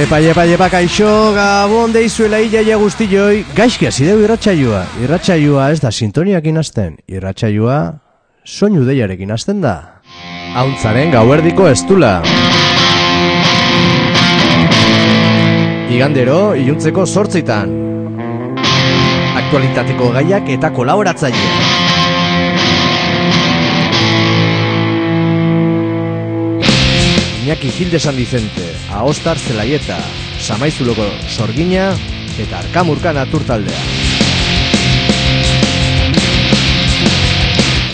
Iepa, kaixo, gabon deizuela iaia guztioi. Gaizki hasi deu irratsaioa. Irratsaioa ez da sintoniakin hasten. Irratsaioa soinu deiarekin hasten da. Ahuntzaren gauerdiko estula. Igandero, iluntzeko 8:00. Aktualitateko gaiak eta kolaboratzailea. Iñaki Gil de San Vicente, Aostar Zelaieta, Samaizuloko Sorgina eta Arkamurka naturtaldea.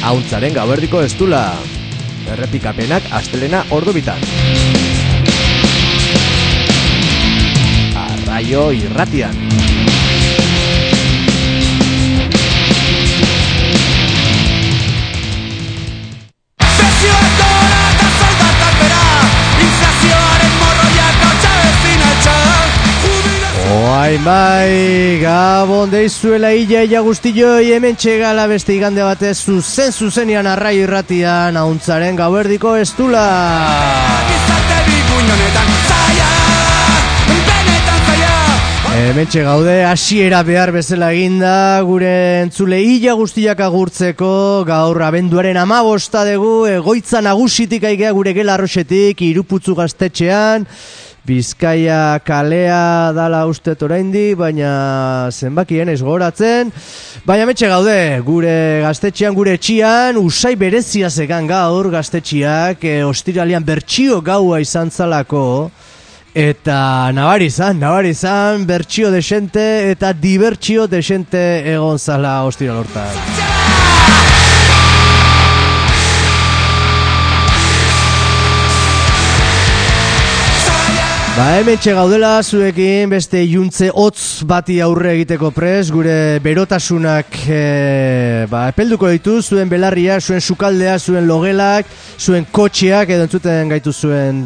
Ahuntzaren gauerdiko estula. Errepikapenak astelena ordubitan. Arraio irratian. Bai, gabon deizuela iaia guztioi, hemen txegala beste igande batez zuzenean arraio irratian, ahuntzaren gauerdiko estula. Hemen txegaude, hasiera behar bezala eginda, gure entzule ia guztiak agurtzeko, gaur abenduaren 15 dugu, egoitza nagusitik aigea gure gela arroxetik, Iruputzu gaztetxean, Bizkaia kalea dala ustet oraindi, baina zenbakien ez goratzen. Baina metxe gaude, gure gaztetxean, gure etxian, usai berezia zegan gaur gaztetxiak, ostiralian bertsio gaua izan zalako, eta nabari izan, bertsio desente eta dibertsio desente egon zala ostiral hortan. Hemen gaudela zuekin beste iluntze hotz bati aurre egiteko prest, gure berotasunak epelduko ditu, zuen belarria, zuen sukaldea, zuen logelak, zuen kotxeak, edo entzuten gaitu zuen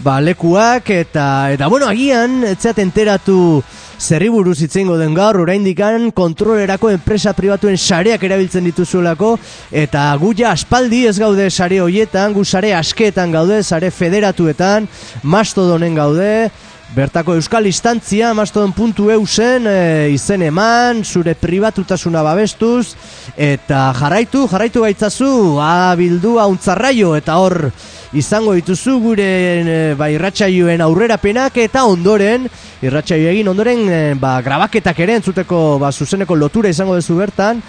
lekuak, eta bueno, agian, etzeat enteratu zerri buruz itzeingo den gaur, oraindikan kontrolerako enpresa pribatuen sareak erabiltzen dituzuelako, eta gu ja aspaldi ez gaude sare hoietan, gu sare askeetan gaude, sare federatuetan, Mastodonen gaude, bertako euskal instantzia, mastodon.eu zen, izen eman, zure pribatutasuna babestuz, eta jarraitu gaitzazu, bildu ahuntzarraio, eta hor izango dituzu gure irratsaioen aurrerapenak, eta ondoren, irratsaio egin ondoren, grabaketak ere entzuteko zuzeneko lotura izango duzu bertan,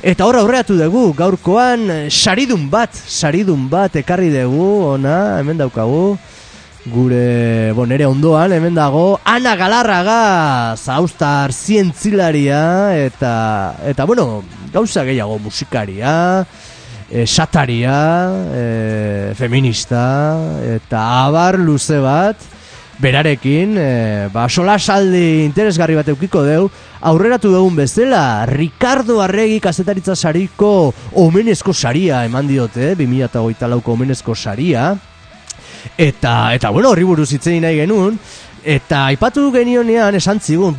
eta hor aurreratu dugu, gaurkoan saridun bat ekarri dugu, ona, hemen daukagu, gure, nere ondoan, hemen dago, Ana Galarraga, Aostar zientzilaria, eta gauza gehiago, musikaria, sataria, feminista, eta abar luze bat, berarekin, solasaldi interesgarri bat eukiko deu, aurreratu dugun bezala, Ricardo Arregi kazetaritza sariko omenezko saria eman diote, 2024ko omenezko saria, eta horri buruz hitzein nahi genuen, eta aipatu genionean esan zigun,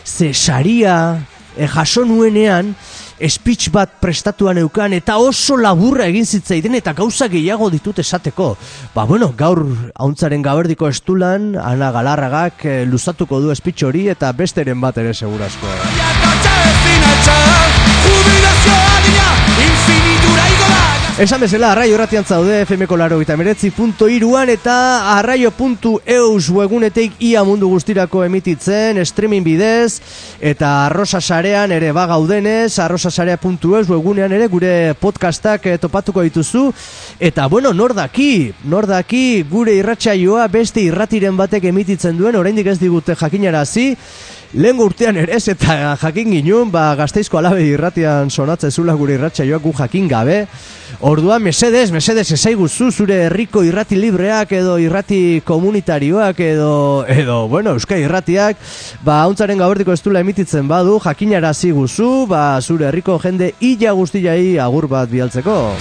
ze saria jaso nuenean, speech bat prestatuan eukan, eta oso laburra egin zitzaiden, eta gauza gehiago ditut esateko. Gaur ahuntzaren gauerdiko estulan, Ana Galarragak luzatuko du speech hori, eta besteren bat ere segurazko. Esan bezala, arraio erratian zaude, FMko 89.3.an eta arraio.eus webunetik ia mundu guztirako emititzen, streaming bidez, eta arrosa sarean ere bagaudenez, arrosasarea.eus webunean ere gure podcastak topatuko dituzu, eta nor daki gure irratsaioa beste irratiren batek emititzen duen, oraindik ez digute jakinarazi, lehengo urtean ere ez, eta jakin ginuen, Gasteizko Alabe irratian sonatzezula gure irratsaioak gu jakin gabe. Orduan, mesedez ezaiguzu zure herriko irrati libreak edo irrati komunitarioak edo Euskal irratiak, ahuntzaren gauerdiko estula emititzen badu, jakinarazi guzu, zure herriko jende ia guztiai agur bat bialtzeko.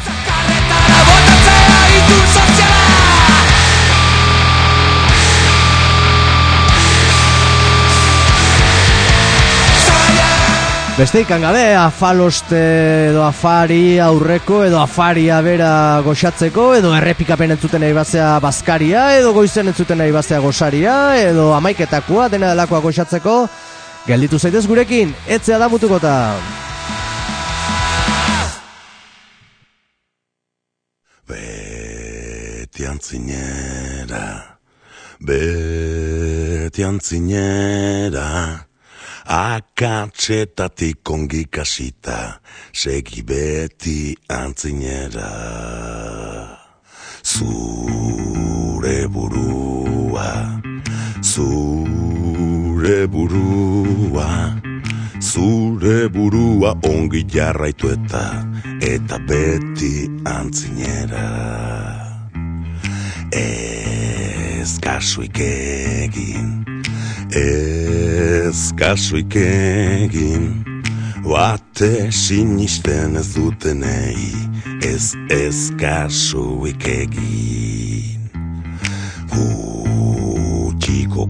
Beste ikan gabe, afaloste edo afari aurreko edo afaria bera goxatzeko edo errepikapen entzuten nahi bazea bazkaria edo goizen entzuten nahi bazea gosaria edo amaiketakoa dena delakoa goxatzeko gelditu zaitez gurekin, etzea da mutukota. Beti antzinera akatsetatik ongi kasita, segi beti antzinera. Zure burua ongi jarraitu eta beti antzinera. Ez kasuik egin, bate sinisten ez dutenei, ez kasuik egin. Gutxiko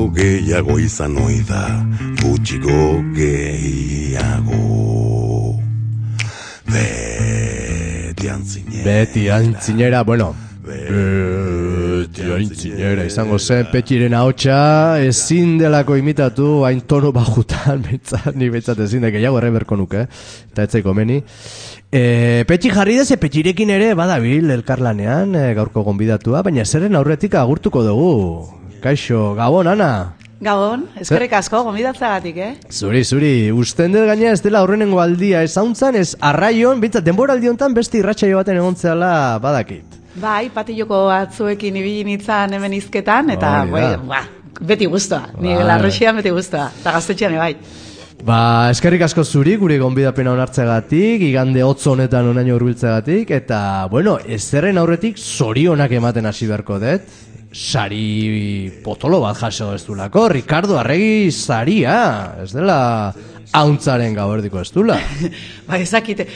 gehiago izan oida, gutxiko gehiago. Beti antzinera, bueno, izango zen Petxiren ahotsa ezin delako imitatu hain tono bajutan, ni behintzat ezin da gehiago erreberko nuke, eta etzaiko meni. Petxi jarri deze, Petxirekin ere badabil elkarlanean gaurko gonbidatua, baina zerren aurretik agurtuko dugu. Kaixo, Gabon, Ana? Gabon, eskerrik asko, gonbidatzagatik, Zuri, usten dut gaina ez dela aurrenengo aldia ez hauntzan, ez arraion, bintzat denbora aldiontan beste irratsaio baten egontzeala badakit. Bai, patiloko batzuekin ibili nintzen hemen izketan, eta beti guztua, ni Larroxian beti guztua, eta Gaztetxean bai. Eskerrik asko zuri, gure gonbidapena onartzegatik, igande hotz honetan onaino hurbiltzegatik, eta, bueno, ezerren aurretik zorionak ematen hasi beharko dut, sari potolo bat jaso ez dulako, Ricardo Arregi saria, ez dela hauntzaren gaberdiko ez dula. Ezakite,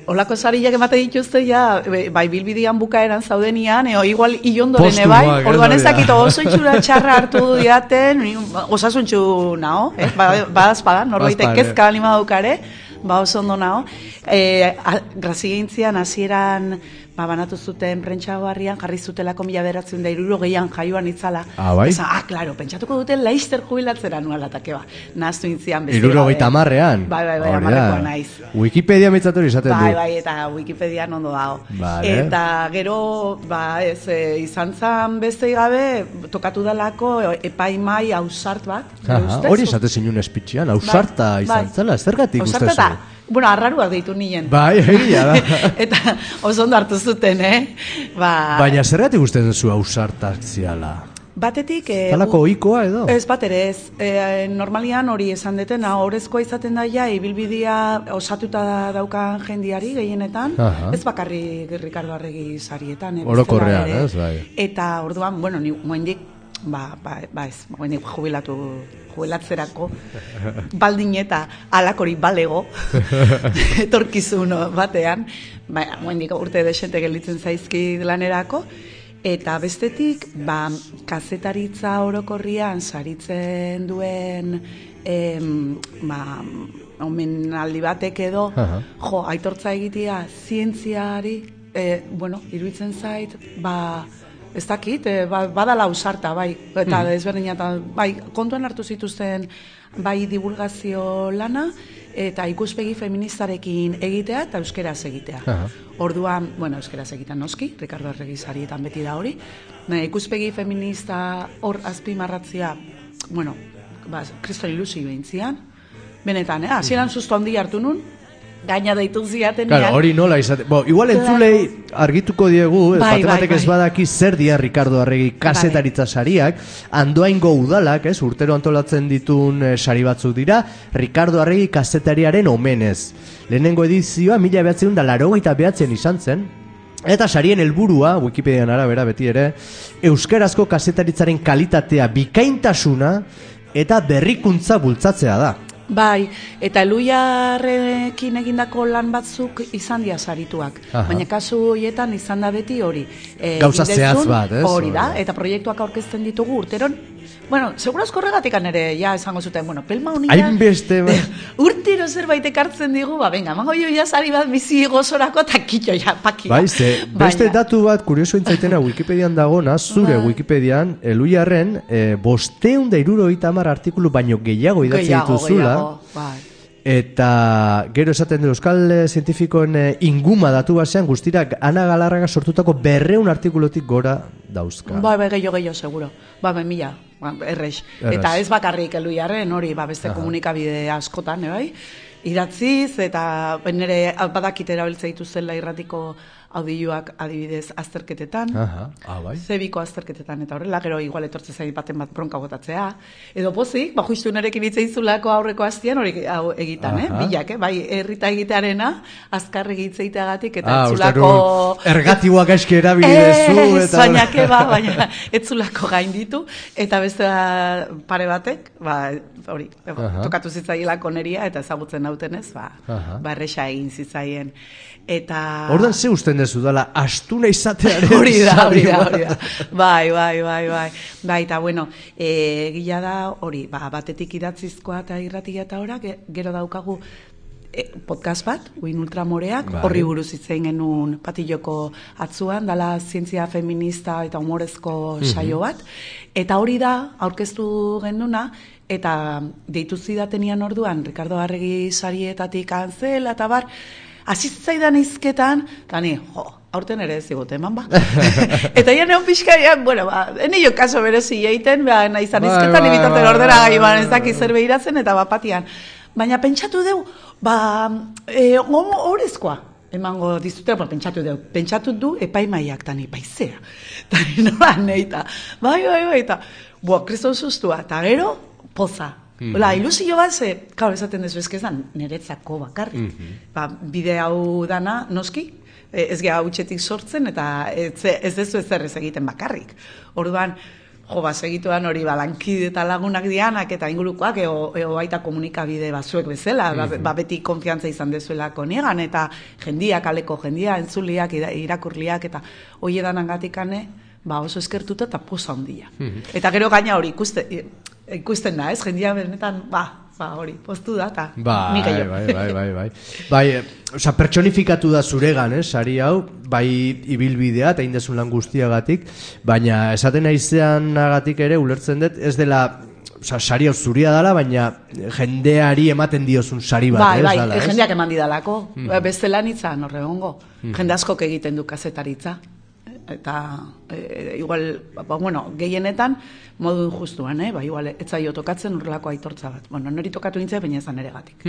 olako sariak emate dituzte ja, bai bilbidian bukaeran zaudenian, igual ilondoren bai, orduan ezakito oso itxura txarra hartu diaten, osasuntxu nao, badazpada, norbaitek kezka balima daukare, oso ondo nao. Grazi gehintzian, hasieran banatu zuten prentxagoarrian, jarri zutelako 1960 jaioan itzala. Bai? Claro, pentsatuko duten Laister jubilatzera nualatake nahaztu intzian. 70an? Bai, amarrekoa naiz. Wikipedia mitzator izaten du. Bai, eta Wikipedian ondo dago. Eta gero, izan zan beste gabe, tokatu dalako epaimai ausart bat. Hori esate zinun espitxian, ausarta izan zela, zergatik ustezu? Bueno, arraruak deitu nien. Bai, egia da. Eta oso ondo hartu zuten, Baina zergatik ustezen zu ausartak ziala? Batetik... Talako oikoa edo? Ez, batere ez. Normalian hori esan deten, horrezkoa izaten daia, ibilbidea osatuta daukan jendiari gehienetan, ez bakarrik Ricardo Arregi sarietan. Orokorrean, ez, bai. Eta orduan, bueno, ni moendik, ez, moendik jubilatzerako, baldin eta alakori balego, etorkizun batean, moendik urte desente gelditzen zaizki lanerako, eta bestetik, kazetaritza orokorrian saritzen duen omenaldi batek edo, aitortza egitea zientziari, iruditzen zait, ez dakit, badala ausarta, bai, eta desberdina, bai, kontuan hartu zituzten, bai, divulgazio lana, eta ikuspegi feministarekin egitea eta euskeraz egitea. Orduan, euskeraz egitean noski, Ricardo Arregi sarietan beti da hori, ikuspegi feminista hor azpimarratzea, kriston ilusio behintzian, benetan, hasieran susto handi hartu nun, gaina deitu ziaten. Claro, hori nola izate. Igual entzulei argituko diegu, batek ez badaki zer dia Ricardo Arregi kazetaritza sariak, Andoaingo udalak, urtero antolatzen ditun sari batzuk dira, Ricardo Arregi kazetariaren omenez. Lehenengo edizioa 1989 izan zen, eta sarien helburua, Wikipedian arabera beti ere, euskarazko kazetaritzaren kalitatea, bikaintasuna eta berrikuntza bultzatzea da. Bai, eta Eluiarrekin egindako lan batzuk izan dira sarituak. Baina kasu horietan izan da beti hori. Gauza zehatz bat, ez? Hori da, eta proiektuak aurkezten ditugu urteron. Bueno, segurazko horregatikan ere, ja, esango zuten, bueno, pelma honia... Hainbeste, urtero zerbait ekartzen digu, venga, mango jo ja sari bat bizi gozorako, eta kitxo, ja, pakia. Bai, beste datu bat, kurioso intzaitena, Wikipedian dagona, zure Wikipedian, Eluiarren, 570 artikulu baino gehiago idatzi dituzula. Bai. Eta gero esaten du Euskal Zientifikoen inguma datu basean guztira Ana Galarraga sortutako 200 artikulutik gora dauzka. Bai, gehiago, seguro. Bai, 1000, errex. Eta ez bakarrik Eluiarren, hori, beste komunikabide askotan, bai? Idatziz, eta nire badakit erabiltza dituzela irratiko audioak adibidez azterketetan, bai. zebiko azterketetan, eta horrela, gero igual etortzen zain baten bat bronka botatzea. Edo pozik, justu nerekin itzeizulako aurreko hastian hori egitan, bilak, bai, errita egitearena, azkar egitzeiteagatik, eta etzulako... Ergatiboak eski erabidezu, eta... baina etzulako gain ditu, eta beste pare batek, hori, tokatu zitzailako neria, eta ezagutzen nautenez, erresa egin zitzaien. Eta... Ordan ze usten dezu dala, astuna izatearen... Hori da. Bai. Bai, eta bueno, gila da, hori, batetik idatzizkoa eta irratia eta ora, gero daukagu podcast bat, Uin Ultramoreak, horri buruz hitzein genuen Patilloko atzuan, dala zientzia feminista eta humorezko saio bat, eta hori da, aurkeztu genuna, eta deitu zidatenian orduan, Ricardo Arregi sarietatik antzela, eta bar, azitzaidan izketan, eta ni, aurten ere ez digote, eman ba. Eta ja neon pixkaian, bueno, ene jo kaso berezi egiten, naizan izketan, ibitarten ordera gai, ez daki zer behiratzen, eta bapatian. Baina pentsatu deu, horrezkoa, emango dizutera, pentsatu du epaimaiak, tani, paizea. Tani, nola, neita. Bai, eta, kriston sustua, eta gero, poza. Ilusio bat, klar, esaten dezu, ezkezan, niretzako bakarrik. Bide hau dana, noski, ez geha hutsetik sortzen, eta ez dezu ez egiten bakarrik. Orduan, segituan hori lankide eta lagunak dianak, eta ingurukoak, eo baita komunikabide batzuek bezala, beti konfiantza izan dezuelako niegan, eta jendiak, aleko jendia, entzuliak, irakurliak, eta hoi edanangatikane, oso eskertuta eta poza handia. Eta gero gaina hori ikusten da, ez? Jendia benetan, hori, poztu da, eta nik gehiago. Bai, pertsonifikatu da zuregan, sari hau, bai ibilbidea eta indezun lan guztiagatik, baina esaten naizeanagatik ere ulertzen dut, ez dela, sari hau zuria dela, baina jendeari ematen diozun sari bat, ez dela, ez? Jendeak eman didalako, bestela nitzan horregongo, jende askok egiten du kazetaritza. Eta, igual, gehienetan, modu injustuan, igual, etzaio tokatzen urrelako aitortza bat. Nori tokatu nintzen, baina ezan ere gatik.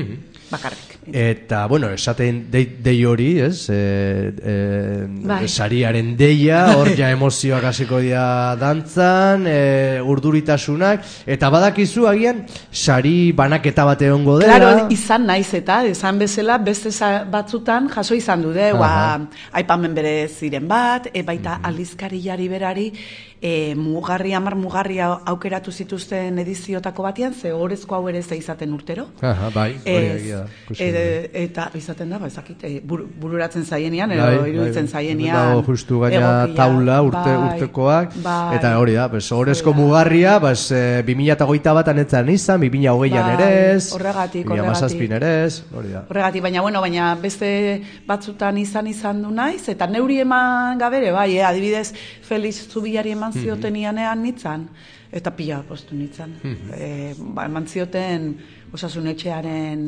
Bakarrik. Eta, esaten dei hori, ez? Sariaren deia, hor ja emozioak hasiko dira dantzan, urduritasunak, eta badakizu agian, sari banaketa bat egongo dela. Claro, izan naiz eta, esan bezala, beste batzutan jaso izan du, aipamen bere ziren bat, baita aldizkariari berari mugarri aukeratu zituzten ediziotako batean, ze horrezko hau ere ze izaten urtero. Bai, hori egia. Eta izaten da, ezakit, bururatzen zaienean, edo iruditzen zaienean. Dago justu gaina taula urtekoak, eta hori da, horrezko mugarria, 2021 batan etzan izan, 2020an ere ez, 2017 ere ez, hori da. Horregatik, baina beste batzutan izan du naiz, eta neuri eman gabere, adibidez, Felix Zubiari eman zioten ianean nitzan, eta pila postu nitzan. Eman zioten Osasun Etxearen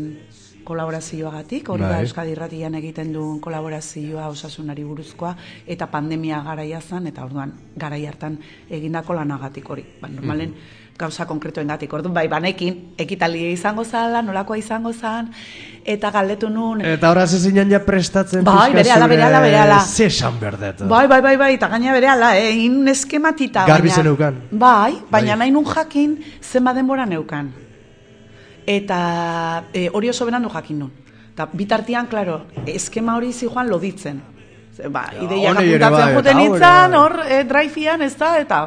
kolaborazioagatik, hori da Euskadi Irratian egiten duen kolaborazioa osasunari buruzkoa, eta pandemia garaia zan, eta orduan garai hartan egindako lanagatik hori. Normalen gauza konkretoen gatik. Orduan, banekin, ekitaldia izango zala, nolakoa izango zan, eta galdetu nun... Eta horaz ezin ja prestatzen berehala. Zesan berdetu. Bai, eta gaina berehala, inun eskematita. Garbi zen neukan. Bai, baina nahi nun jakin, zenba denbora neukan. Eta hori oso berandu jakin nun. Eta bitartian, klaro, eskema hori zijoan loditzen. Ideiak apuntatzen juten itzan, hor, drive-ian, ez da, eta...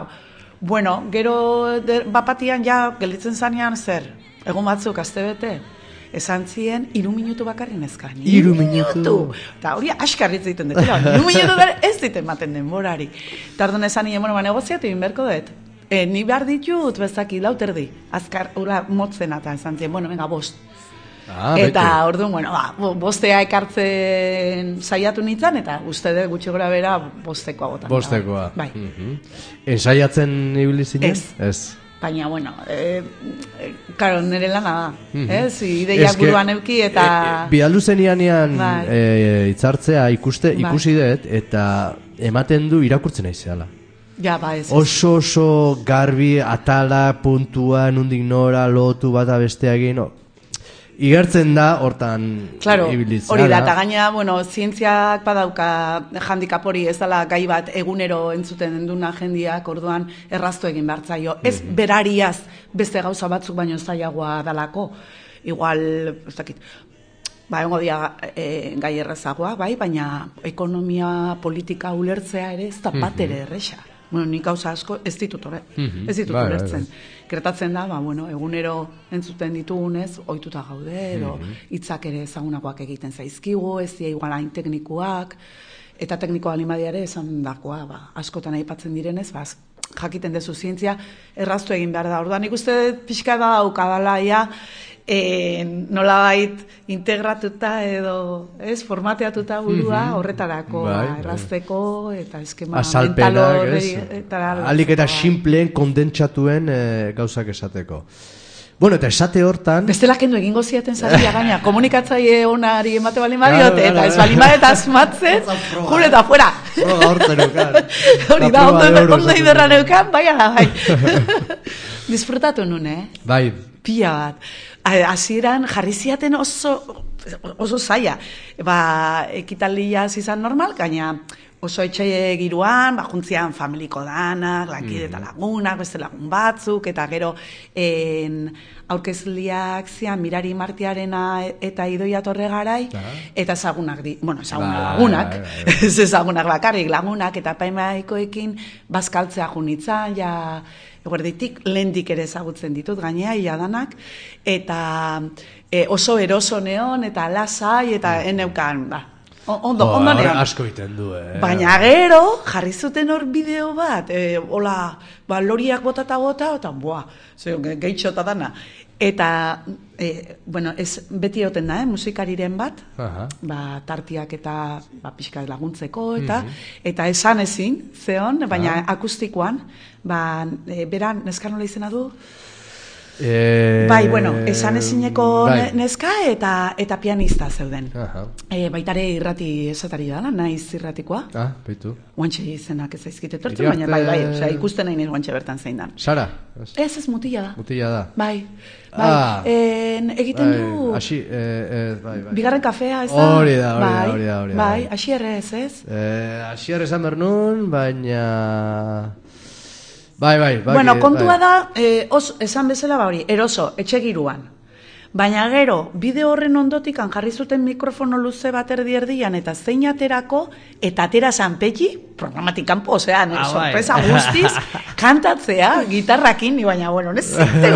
Bueno, gero bapatian ja gelditzen zanean zer, egun batzuk astebete, esan zien 3 minutu bakarri neska. 3 minutu. Eta hori askarritz egiten dut. 3 minutu da ez diten maten denborari. Eta orduan esan nien, negoziatu egin berko dut. Ni behar ditut, bezaki, 4:30. Azkar, motzen eta esan zien, venga, 5. Eta orduan, bostea ekartzen saiatu nintzen, eta uste dut gutxi gora bera bostekoa botan. Bostekoa. Bai. Ensaiatzen ibili zinen? Ez. Baina, karo, nire lana da. Ideiak buruan euki eta... Bialdu zenianean hitzartzea ikusi dut, eta ematen du irakurtzen aizeala. Ja, ez. Oso garbi, atala, puntua, nundik nora, lotu bata besteagin, igertzen da, hortan ibilitzea. Hori da, eta gaina, zientziak badauka handikap hori, ez dela gai bat egunero entzuten duna jendiak, orduan erraztu egin behartzaio. Ez berariaz beste gauza batzuk baino zailagoa dalako. Igual, ez dakit, egongo dia gai errazagoa, baina ekonomia politika ulertzea ere ez da bat ere erresa. Nik gauza asko ez ditut ulertzen. Gertatzen da, egunero entzuten ditugunez, ohituta gaude, edo hitzak ere ezagunakoak egiten zaizkigu, ez dira igualain teknikoak, eta teknikoa alimadiare esan dakoa, askotan aipatzen direnez, jakiten dezu zientzia, erraztu egin behar da. Orduan, nik uste pixka da daukadala, nolabait integratuta edo formateatuta burua horretarako errazteko eta eskema mental horretara alik eta simpleen kondentsatuen gauzak esateko. Eta esate hortan bestela kendu egingo ziaten zaria gaina komunikatzaile onari emate balin badiote eta ez balin badet asmatzen jure eta fuera hori da ondo iberra neukan bai disfrutatu nun, bai pila bat. Hasieran jarri ziaten oso zaila. Ekitaldia izan normal, gaina oso etxe giruan, juntzian familiko danak, lankide eta lagunak, beste lagun batzuk, eta gero aurkezliak zian Mirari Martiarena eta Idoia Torregarai, eta ezagunak lagunak, ez ezagunak bakarrik lagunak, eta paimaikoekin bazkaltzea junitzan, eguerditik, lehendik ere ezagutzen ditut, gainea, danak, eta oso eroso neon, eta lasai, eta eneukan, ondo neon. Asko iten du, Baina gero, jarri zuten hor bideo bat, loriak bota, eta gehitxo eta dana. Eta, ez beti oten da, musikariren bat, tartiak eta pixka laguntzeko, eta esan ezin, zeon, baina akustikoan, beran, neska nola izena du? Esan ezineko neska eta pianista zeuden. Baitare irrati esatari dala, naiz irratikoa. Baitu. Guantxe izenak ez aizkite tortzen, baina ikusten nahi guantxe bertan zein dan. Sara? Ez mutila da. Mutila da. Bai. Egiten du... Bigarren kafea, ez da? Hori da. Bai, asierrez, ez? Asierrez amernun, baina... Bai. Kontua da, esan bezala hori, eroso, etxegiruan. Baina gero, bideo horren ondotik jarri zuten mikrofono luze bat erdian eta zein aterako, eta atera zanpeki, programatik kanpo, sorpresa guztiz, kantatzea, gitarrakin, baina, nezite,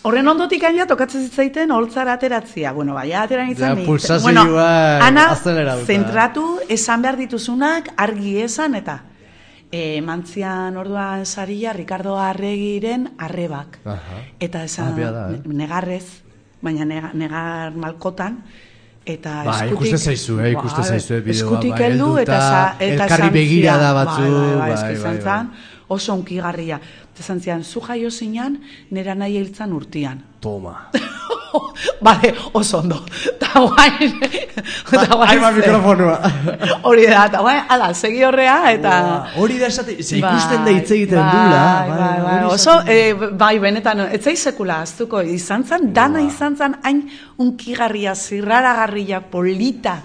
horren ondotik ja tokatzen zitzaiten holtzara ateratzia. Atera nintzen nik. Ana, zentratu, esan behar dituzunak, argi esan, eta... mantzian orduan saria Ricardo Arregiren Arrebak. Eta esan negarrez, baina negar malkotan, eta ikusten zaizu bideoa. Eskutik heldu eta elkarri begira da batzu. Bai, oso unkigarria. Esan zian, zu jaio zinan, nera nahi hiltzan urtian. Toma. Oso ondo. Eta guain... Haima mikrofonua. Hori da, eta guain, segi horrea, eta... Hori da esate, ikusten da hitz egiten dula. Oso, benetan, etzai sekula aztuko, dana izan zan, hain unkigarria, zirraragarria, polita,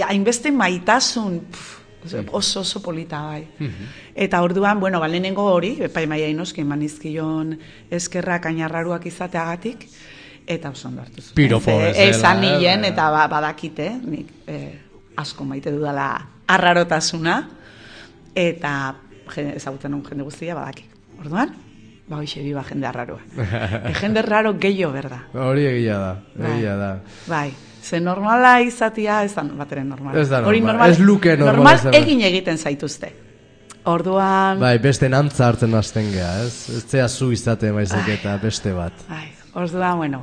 hainbeste maitasun... Oso polita, bai. Eta orduan, lehenengo hori, epaimaia inoski, manizkion eskerrak ainarraruak izateagatik, eta oso ondo hartu zuen. Piropo bezala. Esan nien, eta badakite, nik asko maite dudala arrarotasuna, eta ezagutzen un jende guztia badakik. Orduan, Ba, hoxe, biba jende arraroa. Jende raro gehiago berda. Hori egia da. Bai. Ze normala izatia ez da bateren normala. Ez da normal, ez luke normal. Normal egiten zaituzte. Orduan... Bai, beste nantza hartzen hasten geha, ez? Ez zea zu izate maizik eta beste bat. Orduan, bueno,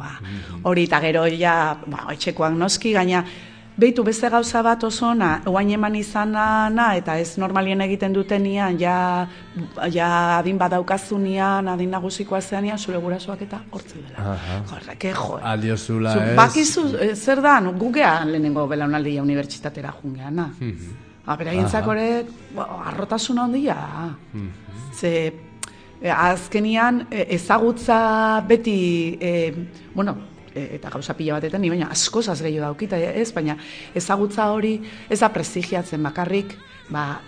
hori eta gero ja, etxekoak noski, gaina, behitu beste gauza bat oso ona, oain eman izana, eta ez normalien egiten dutenian, ja adin badaukazunean, adin nagusikoa zeanian, zure gurasoak eta hortze dela. Horreke, jo. Aldiozula ez. Bakizu, zer da, gugean lehenengo belaunaldia unibertsitatera jungeana. Beraientzak hori, arrotasuna ondia. Ze, azkenian, ezagutza beti, eta gauza pila batetan, baina askozaz gehiago daukita, ez, baina ezagutza hori ez da prestigiatzen bakarrik,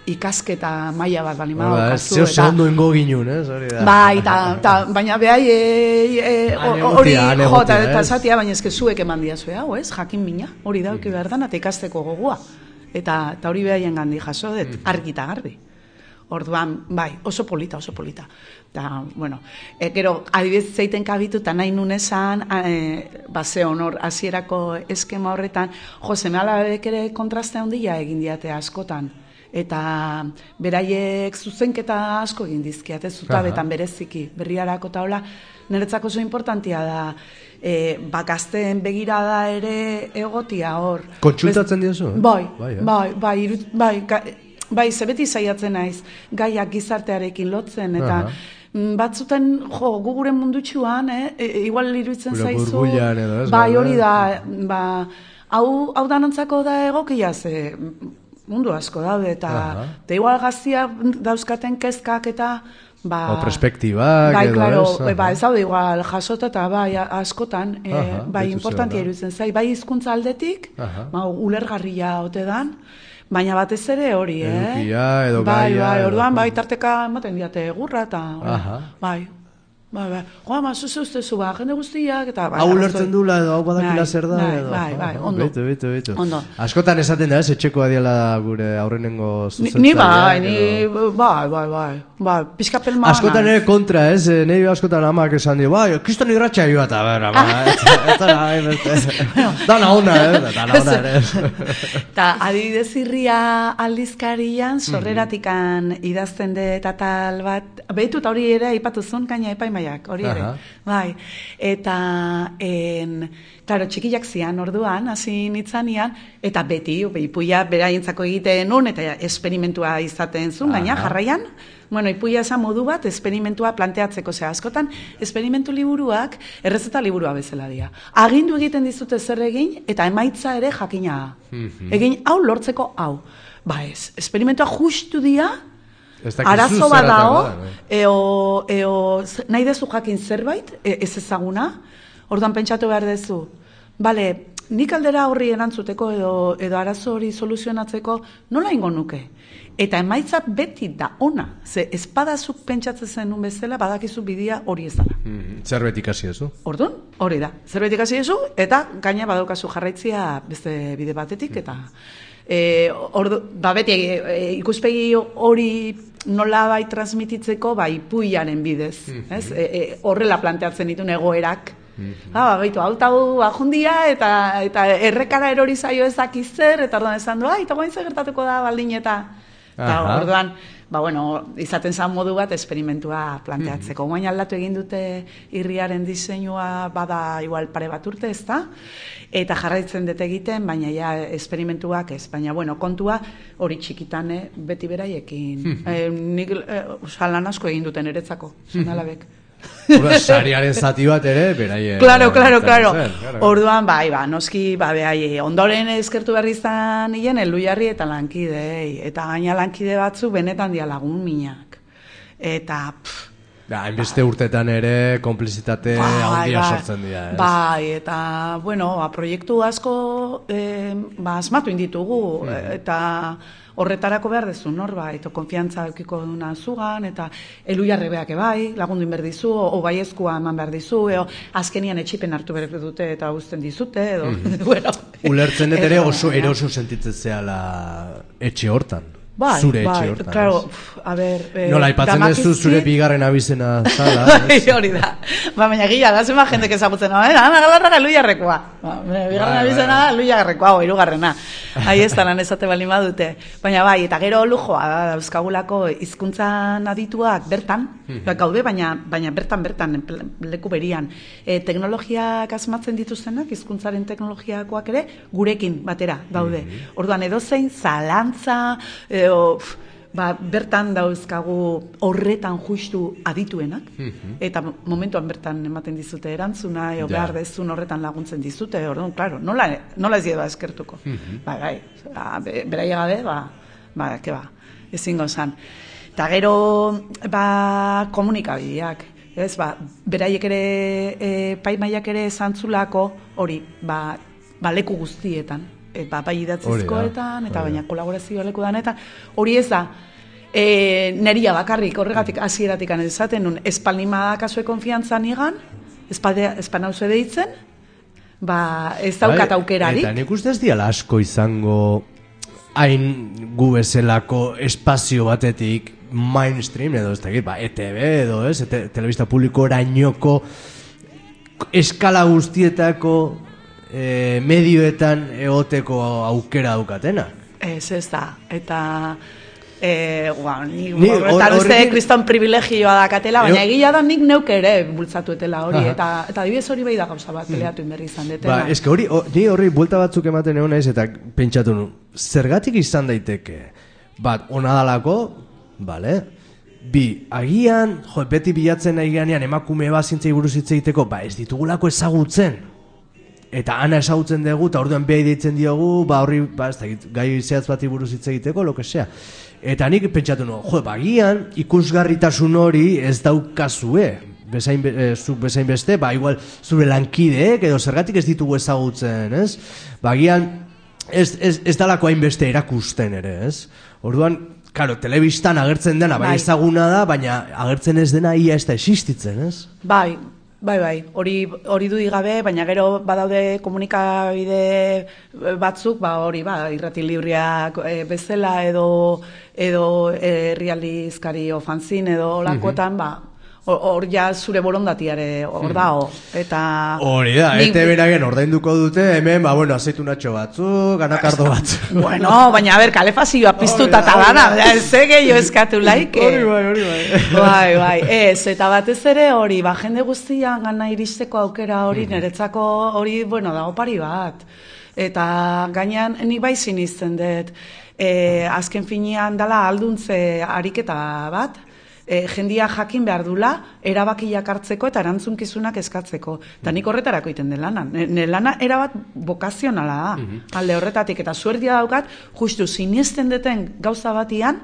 ikasketa maila bat bali madaukazu. Zeo segundu ingo ginun, ez? Baina behai hori jota eta esatia, baina ezke zuek eman diazue hau, ez? Jakin mina, hori dauki behar dan, eta ikasteko gogua. Eta hori behaien gandi jaso dut, argi eta garbi. Orduan, bai, oso polita. Eta, bueno, gero, adibidez zeiten kabitu, eta nahi nun esan, ze honor, hasierako eskema horretan, seme alabek ere kontraste handia egin diate askotan. Eta beraiek zuzenketa asko egin dizkiate, zutabetan bereziki, berriarako eta hola, niretzako oso importantia da, gazteen begirada ere egotia hor. Kontsultatzen diozu? Bai, zebeti zaiatzen naiz, gaiak gizartearekin lotzen, eta batzuten, guguren mundutxuan, igual iruditzen zaizu. Burbuilan edo, ez? Bai, hori da, hau danontzako da egokia, ze mundu asko daude, eta igual gaztia dauzkaten kezkak eta o perspektibak edo, ez daude igual jasota eta bai askotan, bai importantia iruditzen zai, bai hizkuntza aldetik, ulergarria ote dan, baina batez ere hori, edukia edo gaia. Bai, orduan, bai, tarteka ematen diate gurra eta, bai. Joa, zuze ustezu, jende guztiak, eta... Hau lertzen dula edo, hau badakila zer da, edo... Bai, ondo. Beitu. Askotan esaten da, etxeko adiela gure aurrenengo zuzentzaia. Ni bai, pixkapel maana. Askotan ere kontra, ez? Nei askotan amak esan dio, bai, kriston irratxa joa, eta dana ona, ere. Eta adibidez irria aldizkarian, sorreratikan idazten de eta tal bat, behitu eta hori ere, ipatuzun, kaina epaimaiak, hori ere. Bai, eta, klaro, txikilak zian orduan, hasi nitzanean, eta beti, ipuia beraientzako egiten nun, eta esperimentua izaten zuen, gaina, jarraian, ipuia esan modu bat, esperimentua planteatzeko, askotan, esperimentu liburuak, errezeta liburua bezala dira. Agindu egiten dizute zer egin, eta emaitza ere jakina. Egin hau lortzeko hau. Ba ez, esperimentua justu dira, arazo bat dao, nahi dezu jakin zerbait, ez ezaguna, orduan pentsatu behar dezu. Bale, nik aldera horri erantzuteko edo arazo hori soluzionatzeko nola ingo nuke? Eta emaitza beti da ona, ze espadazuk pentsatzen zenun bezala, badakizu bidia hori ez dara. Zerbait ikasi ezu? Orduan, hori da. Zerbait ikasi ezu, eta gaina badaukazu jarraitzia beste bide batetik, eta beti ikuspegi hori nola bai transmititzeko, bai puiaren bidez. Horrela planteatzen ditun egoerak. Baitu, hau ajundia, eta errekara erori zaio ezakizer, eta orduan esan du, eta guain zer gertatuko da baldin eta... Orduan, izaten zan modu bat esperimentua planteatzeko. Guain aldatu egin dute irriaren diseinua bada igual pare bat urte, ez da? Eta jarraitzen dut egiten, baina ja esperimentuak ez. Baina, kontua hori txikitan beti beraiekin. Nik lan asko egin duten eretzako, zenalabek. Sariaren zati bat ere, beraie... Claro. Orduan, noski, ondoren eskertu berri izan nien, Elduiarri eta lankidei. Eta gaina lankide batzu benetan dia lagun minak. Eta, hainbeste urtetan ere, konplizitate handia sortzen dira, ez? Bai, eta, proiektu asko asmatu inditugu, eta... Horretarako behar dezu, norbait, konfiantza eukiko duna zugan, eta Elduiarre beak bai, lagundu inberdizu, o baiezkoa eman behar dizu, azkenian etxipen hartu behar dute eta uzten dizute, edo, Ulertzen dut ere oso eroso sentitzen zehala etxe hortan. zure etxe hortan. Claro, a ber... Nola, aipatzen duzu zure bigarren abizena zala. Hori da. Baina gila, da zema jendek ezagutzen, galarra Luiarrekoa. Bigarren abizena da Luiarrekoa, hirugarrena. Ahi ez talan esate bali madute. Baina bai, eta gero lujoa dauzkagulako hizkuntzan adituak bertan, gaude, baina bertan, leku berian. Teknologiak asmatzen dituztenak, hizkuntzaren teknologiakoak ere, gurekin batera daude. Orduan edozein zalantza, bertan dauzkagu horretan justu adituenak, eta momentuan bertan ematen dizute erantzuna, behar dezun horretan laguntzen dizute, orduan, klaro, nola ez dira eskertuko. Beraia gabe, ezingo zan. Eta gero, komunikabideak, ez, beraiek ere, paimaiak ere zantzulako, hori, leku guztietan, bai idatzizkoetan, eta baina kolaborazioa leku danetan, hori ez da, neria bakarrik, horregatik hasieratik esaten nun, espalnima kasue konfiantza nigan, espanauzu deitzen, ez daukat aukerarik. Eta nik uste ez diala asko izango hain gu bezalako espazio batetik mainstream, edo ez dakit, ETV edo ez, telebista publiko orainoko eskala guztietako medioetan egoteko aukera daukatenak. Ez da, eta horretan uste kriston privilegioa dakatela, baina egia da nik neuk ere bultzatuetela hori, eta adibidez hori bai da gauza bat peleatu inberri izan detena. Ez que ni horri buelta batzuk ematen egon naiz, eta pentsatu nu, zergatik izan daiteke, onadalako, bale, bi, agian, beti bilatzen nahi ganean emakume zintzei buruz hitz egiteko, ez ditugulako ezagutzen, eta ana ezagutzen dugu, eta orduan behai deitzen diogu, horri, gai zehatz bati buruz hitz egiteko, lo que sea. Eta nik pentsatu nu, agian ikusgarritasun hori ez daukazue, zuk bezain beste, igual zure lankideek, edo zergatik ez ditugu ezagutzen, ez? Agian ez dalako hainbeste erakusten ere, ez? Orduan, karo, telebistan agertzen dena, ezaguna da, baina agertzen ez dena ia ez da existitzen, ez? Bai, hori du gabe, baina gero badaude komunikabide batzuk, hori, irrati libriak bezala edo herrialdizkari fanzin edo olakotan, hor ja zure borondatiare hor dago, eta... Hori da, ETV-ragen ordainduko dute, hemen, azeitunatxo batzuk, ganakardo batzuk. Bueno, baina, kalefazioa piztuta eta dana, ze gehiago eskatu laike. Hori bai. Bai, ez, eta batez ere hori, jende guztian gana iristeko aukera hori, niretzako hori, dago pari bat. Eta gainean, nik bai sinisten dut, azken finean dala alduntze ariketa bat, jendia jakin behar dula, erabakiak hartzeko eta erantzunkizunak eskatzeko. Eta nik horretarako iten den lana. Lana erabat bokazionala da. Alde horretatik, eta suerdia daukat, justu sinisten deten gauza batian,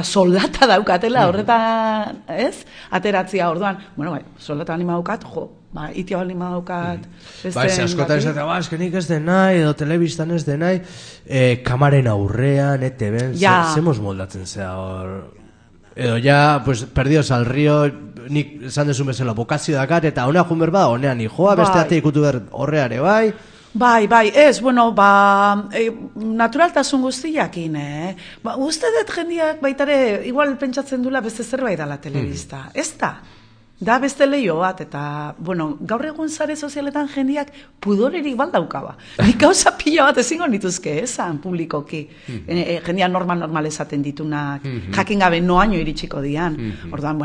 soldata daukatela horretan, ez? Ateratzia orduan. Soldata anima daukat, itia anima daukat. Askotan esatea, eskenik ez den nahi, edo telebistan ez den nahi, kamaren aurrean, ETV-en, zemos moldatzen zea hor... Edo ja, perdidos al río, nik esan desun bezala bokazio dakat, eta honea jun berba, honean joa, beste ate ikutu behar horreare, bai? Bai, ez, naturaltasun guztiakin, uste dut jendiak baitare, igual pentsatzen dula beste zerbait dala telebista, ez da? Da beste leio bat, eta, gaur egun sare sozialetan jendiak pudorerik baldaukaba. Nik gauza pila bat ezingo nituzke, esan publikoki. Jendia normal esaten ditunak, jakin gabe noaino iritsiko dian. Orduan,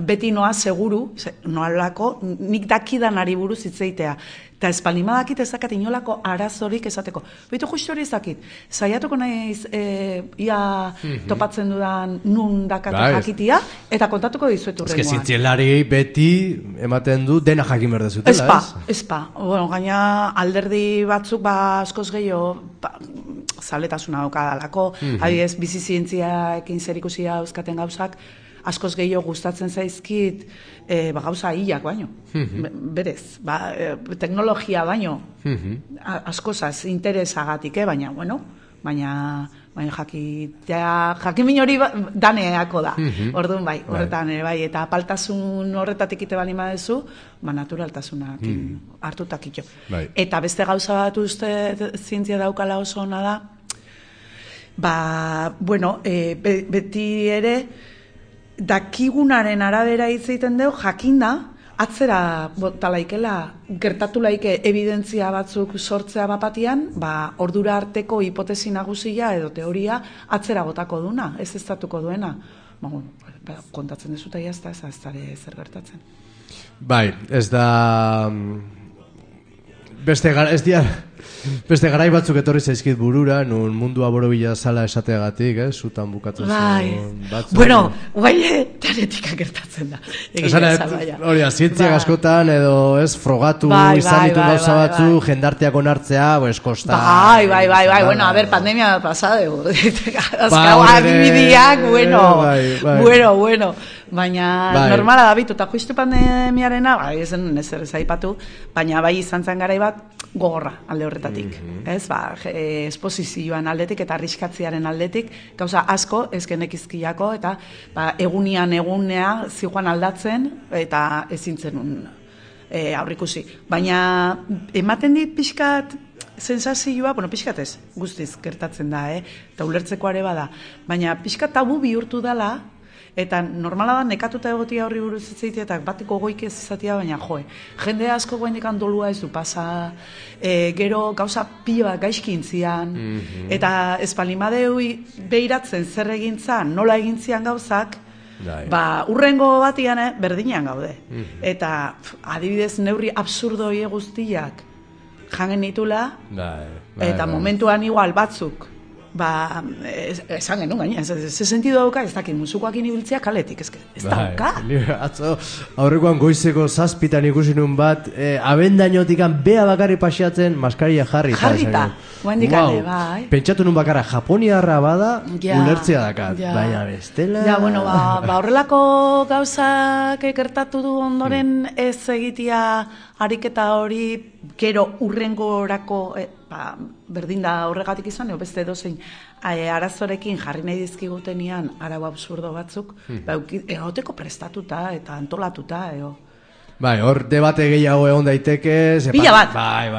beti noa seguru, noalako, nik dakidan ari buruz hitzeitea. Eta espaldimadakit ezakat inolako arazorik esateko. Beitu justu hori ezakit. Zaiatuko naiz ia topatzen dudan nun dakatu jakitia, eta kontatuko dizuetu rengoan. Ez que zintzielari beti ematen du dena jakin berdezutela, ez? Espa. Gaina alderdi batzuk askoz gehiago zaletasuna daukadalako, adibidez bizi zientziaekin zerikusia euskaten gauzak, askoz gehiago gustatzen zaizkit gauza hilak baino. Berez, teknologia baino askozaz interesagatik, baina, jakin min hori daneako da. Orduan bai, horretan bai, eta apaltasun horretatik ite bali madezu, naturaltasunak hartutakito. Eta beste gauza bat uste zientzia daukala oso ona da, bueno, beti ere, dakigunaren arabera hitz egiten dugu, jakinda, atzera botalaikela, gertatu laike evidentzia batzuk sortzea bapatian, ordura arteko hipotesi nagusia edo teoria atzera botako duna, ez estatuko duena. Kontatzen dezuta jazta, ez dara zer gertatzen. Bai, ez da... Beste garai batzuk etorri zaizkit burura, nun mundua borobila zala esateagatik, zutan bukatu zen batzuk. Bueno, teoretika gertatzen da. Hori da, zientziak askotan edo frogatu izan ditu gauza batzu, jendarteak onartzea, kosta. Bai, bueno, a ver, pandemia pasado. Azkau adibidiak, bueno. Baina normala da bitu, eta justu pandemiarena, ez zen ezer aipatu, baina bai izan zen garai bat gogorra alde horretatik. Esposizioan aldetik eta arriskatziaren aldetik, gauza asko ezkenekizkiako, eta egunea zijoan aldatzen, eta ezintzen aurrikusi. Baina ematen dit pixkat sensazioa, pixkat ez, guztiz gertatzen da, eta ulertzeko ere bada, baina pixkat tabu bihurtu dela, eta normala da nekatuta egotia horri buruz itzaitea eta batiko goik ez izatea, baina jende asko goendik dolua ez du pasa, gero gauza pila gaizki intzian, eta espalimadeu behiratzen zer egintzan, nola egintzian gauzak, urrengo batian berdinean gaude. Eta adibidez neurri absurdoi guztiak jangen ditula, eta momentuan igual batzuk, esan genuen gaina, ze sentido dauka, ez dakit musukoakin ibiltzea kaletik, ez dauka. Atzo, aurrekoan goizeko 7 ikusi nun bat, abendainotikan bea bakarri paseatzen, maskaria jarrita. Guendikane, bai. Pentsatu nun bakarra, japoniarra bada, ulertzea dakat, baina bestela... Ja, bueno, horrelako gauzak gertatu du ondoren ez egitea ariketa hori, gero urrengorako... berdin da horregatik izan, beste edozein arazorekin jarri nahi dizkigutenean arau absurdo batzuk, egoteko prestatuta eta antolatuta, Bai, hor debate gehiago egon daiteke... Pila bat,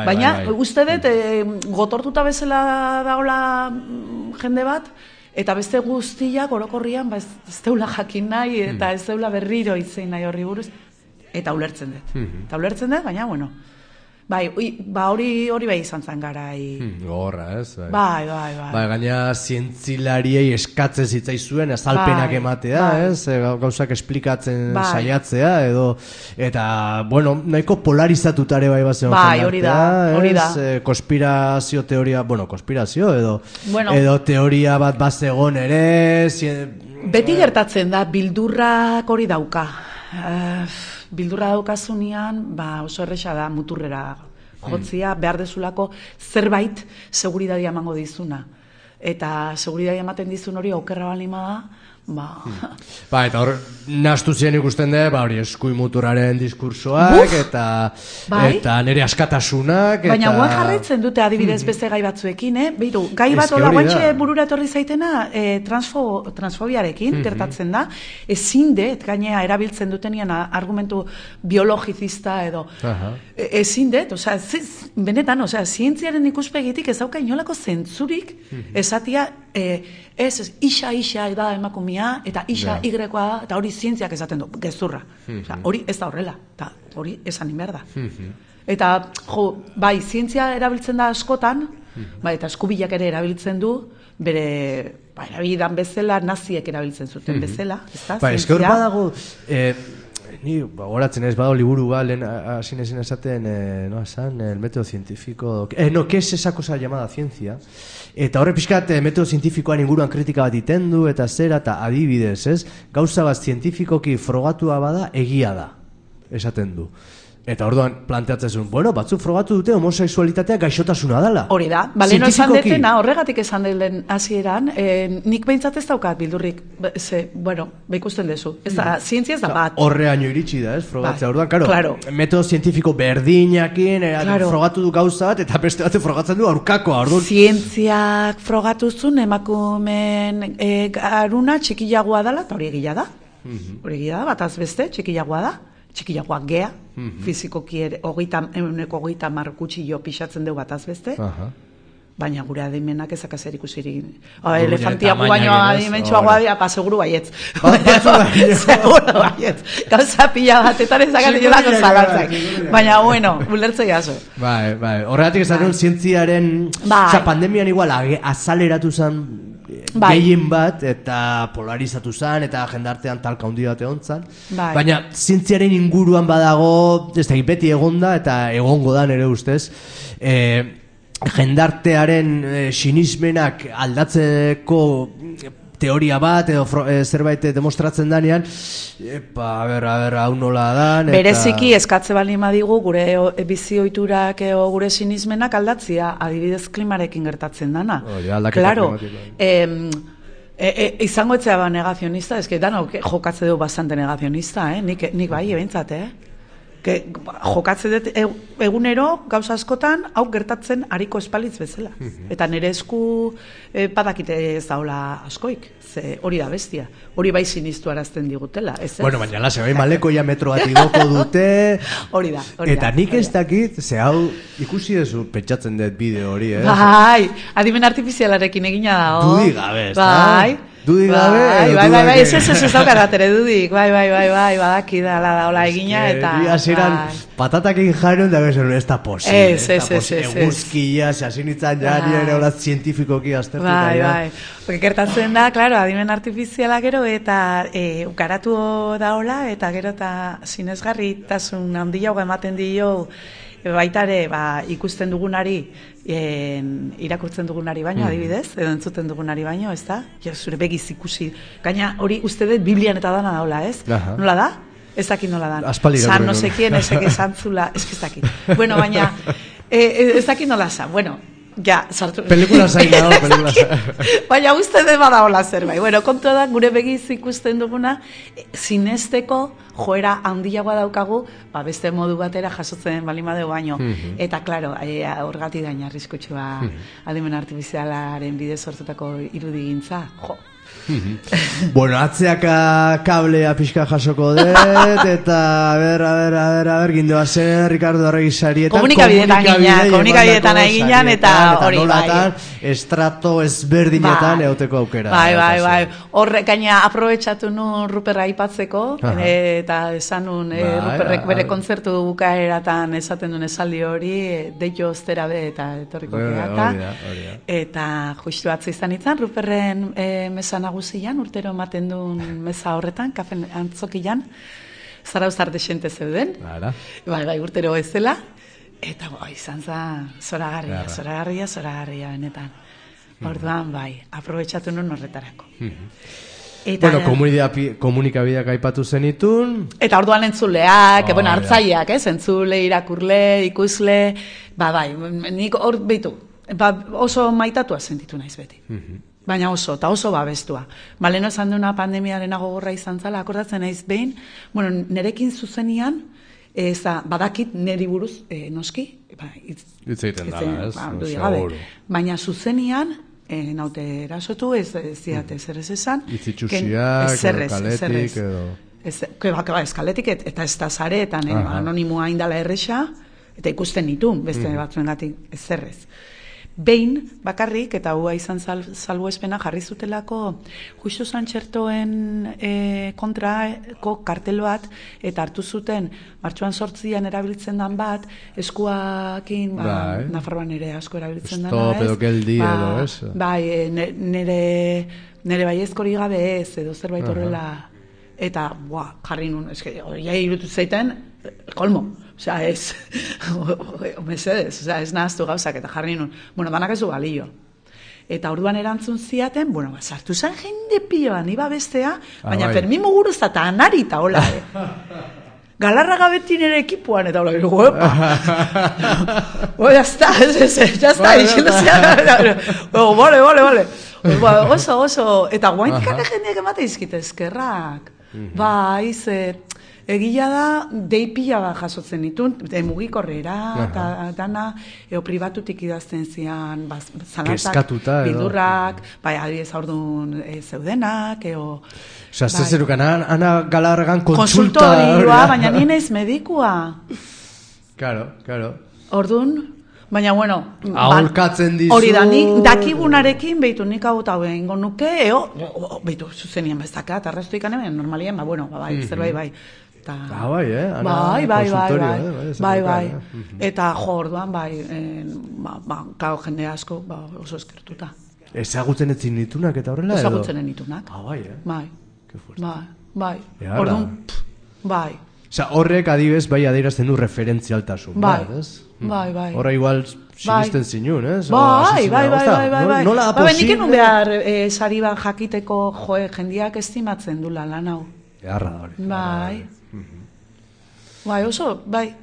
baina uste dut gotortuta bezala daola jende bat, eta beste guztiak orokorrian ez deula jakin nahi, eta ez deula berriro izein nahi horri buruz, eta ulertzen dut, baina, bueno... Bai, hori bai izan zen garai. Gogorra, ez? Bai. Gaina zientzilariei eskatzen zitzaizuen azalpenak ematea, ez? Gauzak esplikatzen saiatzea, edo... Eta, bueno, nahiko polarizatutare bai bazen hori da. Konspirazio teoria, konspirazio, edo teoria bat bazegon ere... Beti gertatzen da, bildurrak hori dauka. Bildurra daukazunean, oso erresa da muturrera jotzia, behar dezulako zerbait seguridadia emango dizuna. Eta seguridadia ematen dizun hori okerra balima da, eta hor, nahastu ziren ikusten da, hori eskui muturraren diskursoak, eta nire askatasunak, baina guan jarraitzen dute adibidez beste gai batzuekin, behiru, gai bat hola guantxe burura etorri zaitena transfobiarekin, gertatzen da, ezin det, gainea erabiltzen dutenean argumentu biologizista edo, ezin det, benetan, zientziaren ikuspegitik ez dauka inolako zentzurik, esatia, isa da emakumea, eta isa Y-koa da, eta hori zientziak esaten du, gezurra. Hori ez da horrela, eta hori esan inber da. Eta, bai, zientzia erabiltzen da askotan, eta eskubilak ere erabiltzen du, bere, erabildan bezala, naziek erabiltzen zuten bezala, ez da, zientzia. Ez hor badago, ni, horatzen ez, badago liburu lehen asin ezin esaten, el método científico, ¿qué es esa cosa llamada ciencia? Eta horre pixkat metodo zientifikoan inguruan kritika bat itendu eta zera eta adibidez, ez? Gauza bat zientifikoki frogatua bada egia da, esaten du. Eta orduan planteatzen zuen, batzuk frogatu dute homosexualitatea gaixotasuna dela. Hori da, baleno esan detena, horregatik esan den hasieran, nik behintzat ez daukat bildurrik, ikusten dezu. Ez da, zientzia ez da bat. Horreaino iritsi da, ez, frogatzea. Orduan, karo, metodo zientifiko berdinakin, frogatu du gauza bat, eta beste bat frogatzen du aurkakoa, orduan. Zientziak frogatuzun emakumen garuna txikiagoa dela, eta hori egia da. Hori egia da, bataz beste, txikiagoa da. Txikiagoak gea, fizikoki ere, 30 markutxi jo pixatzen dugu bataz beste. baina gure adimenak ezak zer ikusirik. Elefantiak baino adimentsuagoa dira, seguru baietz. Seguru baietz. Gauza pila batetan ezakatik lako zalantzak. Baina, bueno, ulertze jaso. Bai. Horregatik esan zientziaren, pandemian igual azaleratu zen gehien bat, eta polarizatu zen, eta jendartean talka handi bat egon zen. Baina zientziaren inguruan badago, ez da, beti egonda, eta egongo da nire ustez, jendartearen sinismenak aldatzeko teoria bat edo zerbait demostratzen danean, a ber, hau nola dan. Bereziki eskatze baldin badigu gure bizioiturak edo gure sinismenak aldatzia, adibidez klimarekin gertatzen dana. Claro, izango etzea negazionista, eske danok jokatze dugu bastante negazionista, nik bai, ebentzat, jokatze dut egunero gauza askotan hau gertatzen hariko espalitz bezala. Eta nire esku badakite ez daula askoik, ze hori da bestia. Hori bai sinistu arazten digutela. Bueno, baina lase, bai malekoia metro bat igoko dute. Hori da. Eta nik ez dakit, ze hau ikusi dezu pentsatzen dut bideo hori, Bai, adimen artifizialarekin egina dago. Dudik gabe, ez da? Bai. Dudik gabe? Bai, ez daukaratere dudik. Bai, badaki da hola egina eta... Hasieran patatakin jaron da bezen, ez da posible. Ez. Eguzkia, sasinitzan jari ere hola zientifikoki aztertuta. Bai. Gertatzen da, claro, adimen artifiziala gero eta garatu da hola eta gero eta sinesgarritasun handia ematen dio baitare ikusten dugunari irakurtzen dugunari baino, adibidez, edo entzuten dugunari baino, ez da? Zure begiz ikusi. Gaina hori uste dut Biblian eta dana daula, ez? Nola da? Ez dakit nola da. San no sekien, ezek esantzula, ez dakit. Bueno, baina, ez dakit nola za. Bueno, ja, sartu. Pelikula zain dago, pelikula zain. Baina uste dut bada hola zerbait. Bueno, kontua da, gure begiz ikusten duguna, sinesteko joera handiagoa daukagu, beste modu batera jasotzen balimade baino. Eta, klaro, horgati daina arriskutsua adimen artifizialaren bidez sortutako irudigintza. Jo. Bueno, atzeaka kablea pixka jasoko dut, eta a ber, gindoa zen, Ricardo Arregi sarietan. Komunikabideetan eginan, eta hori bai. Estrato ezberdinetan euteko aukera. Bai. Horrek gaina aprobetxatu nun Ruperra aipatzeko, eta esan nun Ruperrek bere kontzertu bukaeratan esaten duen esaldi hori, deio ostera be eta etorriko gehiata. Eta justu atze izan itzan, Ruperren mesa nagusian, urtero ematen duen mesa horretan, kafen antzokian, zarauzar desente zeuden. Bai, urtero ezela. Eta izan za zoragarria benetan. Orduan, bai, aprobetxatu nun horretarako. Bueno, komunikabideak aipatu zenitun. Eta orduan entzuleak, hartzaileak, entzule, irakurle, ikusle, bai, nik hor behitu, oso maitatua sentitu naiz beti. Baina eta oso babestua. Leno esan duna pandemiaren gogorra izan zala, akordatzen naiz behin, nerekin zuzenian, badakit neri buruz noski, hitz egiten dala, ez? Baina zuzenian, naute erasotu, ez ziate zer ez esan. Itzitxusiak, kaletik, edo... Eskaletik, eta ez da zaretan, anonimoa indala erresa, eta ikusten nitun, beste batzuengatik ez zerrez. Behin, bakarrik, eta hua izan salbuespena jarri zutelako justu Santxertoen kontrako kartel bat, eta hartu zuten martxoan 8an erabiltzen dan bat, eskuakin, Nafarroan ere asko erabiltzen dana, ez? Stop edo geldi edo, ez? Bai, nire baiezkori gabe ez, edo zerbait horrela, eta, jarri nun, hori irutu zeiten, kolmo. Osea, ez, mesedez, ez nahaztu gauzak, eta jarri nun, danak ez du balio. Eta orduan erantzun ziaten, sartu zen jende piloa, niba bestea, baina Fermin Muguruz eta Anari eta hola, Galarra gabetin ere ekipuan, eta hola, jazta, bale, oso, eta guainkak jendeak emate izkite eskerrak, egia da, dei pila bat jasotzen ditun, mugikorrera, eta dana, pribatutik idazten zian, zalantzak, bildurrak, adibidez aurdun zeudenak, Osea, zerukan, Ana Galarragan konsultorioa, baina nien ez medikua. Claro. Ordun, Baina, bueno... Aholkatzen dizu... Hori da, nik dakigunarekin, behitu, nik hau eta behingo nuke, behitu, zuzenien bezaka, eta restu ikanen, normalien, bai, zerbait, bai. Bai, bai. Eta jo, orduan, kao jende asko, oso eskertuta. Ezagutzen etzin nitunak eta horrela edo? Ezagutzen nitunak. Bai. Bai. Orduan, bai. Osa, horrek adibez, bai, adierazten du referentzialtasun. Bai. Horra igual sinisten zinun, ez? Bai. Nola da posible? Nik enun behar sari bat jakiteko jendiak estimatzen dula lan hau. Eharra da hori. Bai, oso, bai,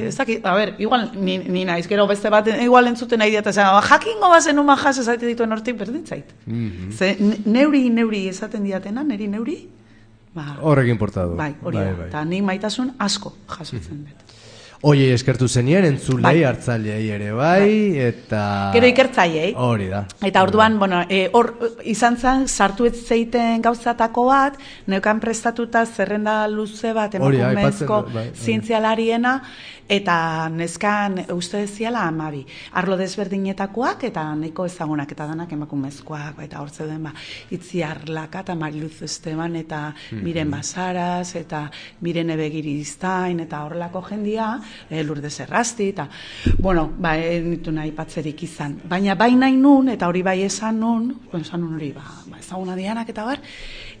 ez dakit, a ber, igual, ni naiz, gero beste bat, igual entzuten nahi diata, jakingo bazen uma jas esaite dituen hortik, berdin zait. Ze, neuri esaten diatena, neuri, horrek importadu. Bai, hori da, eta nik maitasun asko jasotzen dut. Oie, eskertu zenien, entzulei, hartzaileei ere bai, eta... Gero ikertzaileei. Hori da. Eta orduan, hor izan zen, sartu ez zeiten gauzatako bat, neukan prestatuta zerrenda luze bat, emakumezko zientzialariena, eta neskan uste deziala 12. Arlo desberdinetakoak, eta nahiko ezagunak, eta danak emakumezkoak, eta hor zeuden, Itziar Laka, eta Mariluz Esteban, eta Miren Basaras, eta Miren Ebegiriztain, eta horrelako jendia, Lourdes Errasti, eta, nitu nahi patzerik izan. Baina bai nahi nun, eta hori bai esan nun hori, ezaguna dianak eta bar,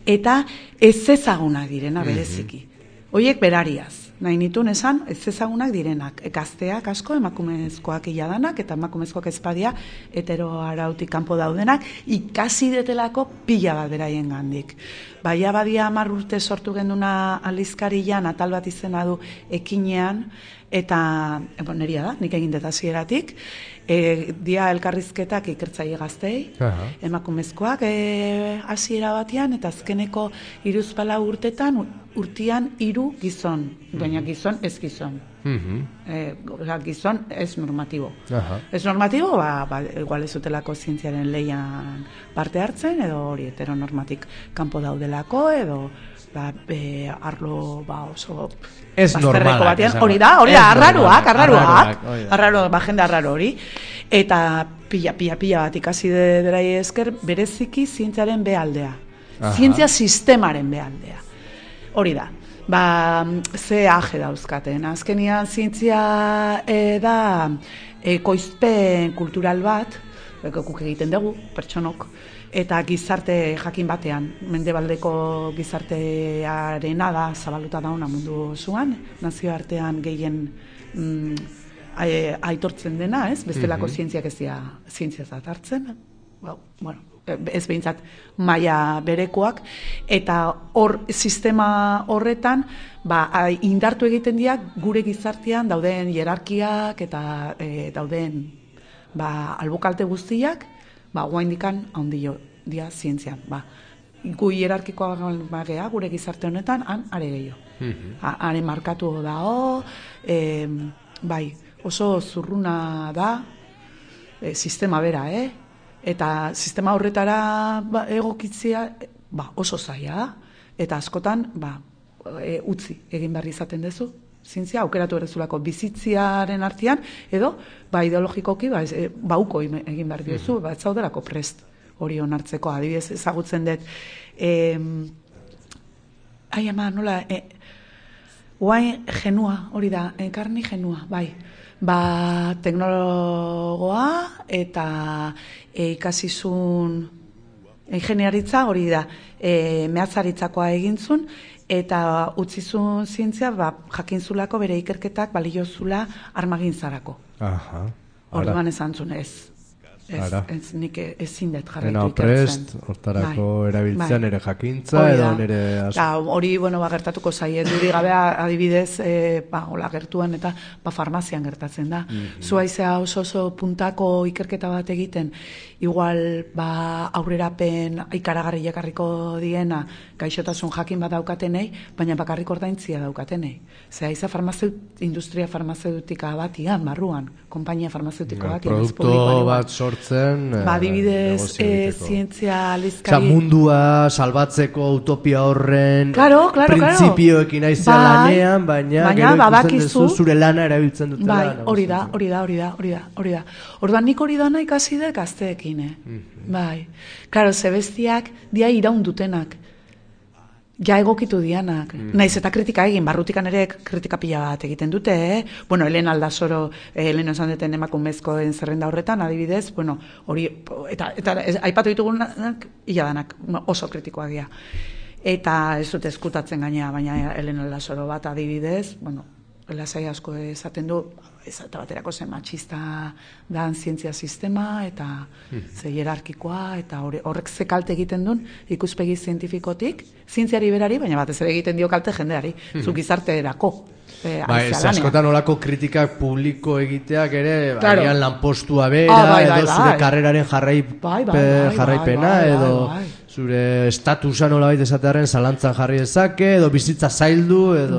eta ez ezagunak direna bereziki. Hoiek berariaz. Nahi nitun esan, ez ezagunak direnak. Gazteak asko, emakumezkoak iladanak, eta emakumezkoak ezpadia, hetero arautik kanpo daudenak, ikasi detelako pila bat beraien gandik. Baia badia 10 urte sortu genduna aldizkarian, atal bat izena du ekinean, eta, neria da, nik egin dut hasieratik, dia elkarrizketak ikertzaile gaztei, emakumezkoak hasiera batean, eta azkeneko 3-4 urtean 3 gizon, baina gizon ez gizon. Gizon ez normatibo. Ez normatibo, igual ez utelako zientziaren leian parte hartzen, edo hori heteronormatik kanpo daudelako, edo arlo oso ez normalak hori da, arraroak jende arraro hori, eta pila bat ikasi derai esker bereziki zientziaren behaldea, zientzia sistemaren behaldea, hori da. Ze aje dauzkaten. Azkenian zientzia da ekoizpen kultural bat, guk egiten dugu, pertsonok, eta gizarte jakin batean, mendebaldeko gizartearena da, zabaluta dauna mundu osoan, nazioartean gehien aitortzen dena, ez? Bestelako zientziak ez dira zientziazat hartzen, ez behintzat maila berekoak, eta hor sistema horretan indartu egiten dira gure gizartean dauden hierarkiak eta dauden albokalte guztiak, guaindikan handio dia zientzian. Gu hierarkikoa gea gure gizarte honetan, are gehiago. Haren markatu dao, oso zurruna da sistema bera, eta sistema horretara egokitzea oso zaila da, eta askotan utzi egin behar izaten dezu, zientzia aukeratu errezulako bizitziaren artean, edo ideologikoki uko egin behar diozu, ez zaudelako prest hori onartzeko, adibidez ezagutzen dut, guain genua, hori da, karni genua, teknologoa eta ikasizun ingeniaritza hori da, mehatzaritzakoa egintzun, eta utzizun zientzia jakintzulako bere ikerketak baliozula armagintzarako. Orduan esan zuen ez nik ezin dut jarretu ikertzen. Hortarako erabiltzean ere jakintza edo nire... Hori, gertatuko zaie, duri gabe adibidez, hola gertuan eta farmazian gertatzen da. Zuaizea oso puntako ikerketa bat egiten, igual aurrerapen ikaragarri jakarriko diena, gaixotasun jakin bat daukatenei, baina bakarrik ordaintzia daukatenei. Zehaiza industria farmazeutika batian, barruan, konpainia farmazeutiko batian. Produktu bat sortzen sortzen adibidez, zientzia aldizkari mundua salbatzeko utopia horren printzipioekin aizea lanean, baina gero ikusten duzu zure lana erabiltzen dutela. Hori da. Orduan nik hori dana ikasi dut gazteekin, bai. Claro, zebestiak dia iraun dutenak. Ja egokitu dianak. Naiz eta kritika egin, barrutikan ere kritika pila bat egiten dute, Bueno, Elena Aldasoro, Elena esan duten emakumezkoen zerrenda horretan, adibidez, bueno, hori, eta aipatu ditugunak, ila danak, oso kritikoak dira. Eta ez dute eskutatzen gainea, baina Elena Aldasoro bat adibidez, bueno, lasai asko esaten du, eta baterako zen matxista dan zientzia sistema, eta ze hierarkikoa, eta horrek ze kalte egiten duen ikuspegi zientifikotik, zientziari berari, baina batez ere egiten dio kalte jendeari, zu gizarterako. Askotan olako kritikak publiko egiteak ere, agian lanpostua bera, edo zure karreraren jarraipena, edo zure estatusa nolabait esatearen zalantzan jarri dezake, edo bizitza zaildu, edo...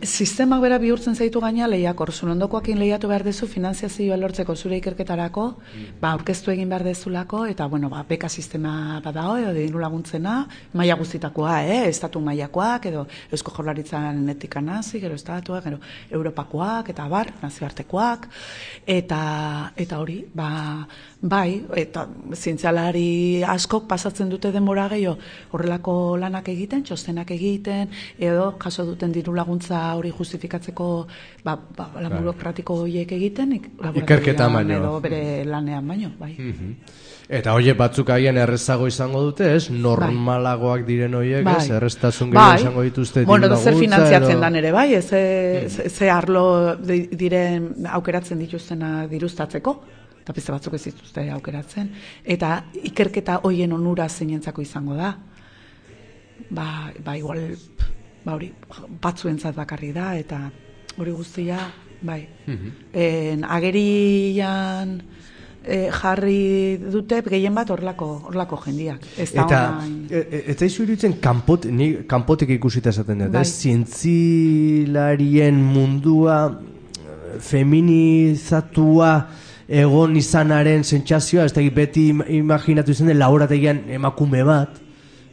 Sistemak bera bihurtzen zaitu gaina lehiakor, zure ondokoakin lehiatu behar dezu, finanziazioa lortzeko zure ikerketarako, aurkeztu egin behar dezulako, eta, beka sistema badao, edo diru laguntzena, maila guztitakoa, estatu mailakoak, edo Eusko Jaurlaritzan etika nazi, gero estatuak, gero Europakoak, eta nazioartekoak, eta hori, eta zientzialari askok pasatzen dute denbora gehiago horrelako lanak egiten, txostenak egiten, edo jaso duten diru laguntza hori justifikatzeko lan burokratiko horiek egiten, ikerketa baino, edo bere lanean baino, bai. Eta horiek batzuk agian errezago izango dute, ez? Normalagoak diren horiek, ez? Erreztasun gehiago izango dituzte diru laguntza. Zer finantziatzen dan ere, bai? Ze arlo diren aukeratzen dituztena diruztatzeko? Eta beste batzuk ez dituzte aukeratzen, eta ikerketa hoien onura zeinentzako izango da. Igual, hori, batzuentzat bakarri da, eta hori guztia, agerian jarri dute gehien bat horlako jendiak. Eta ez daizu iruditzen kanpotik ikusita esaten dut, zientzilarien mundua feminizatua egon izanaren sentsazioa, ez da beti imaginatu izan den laborategian emakume bat,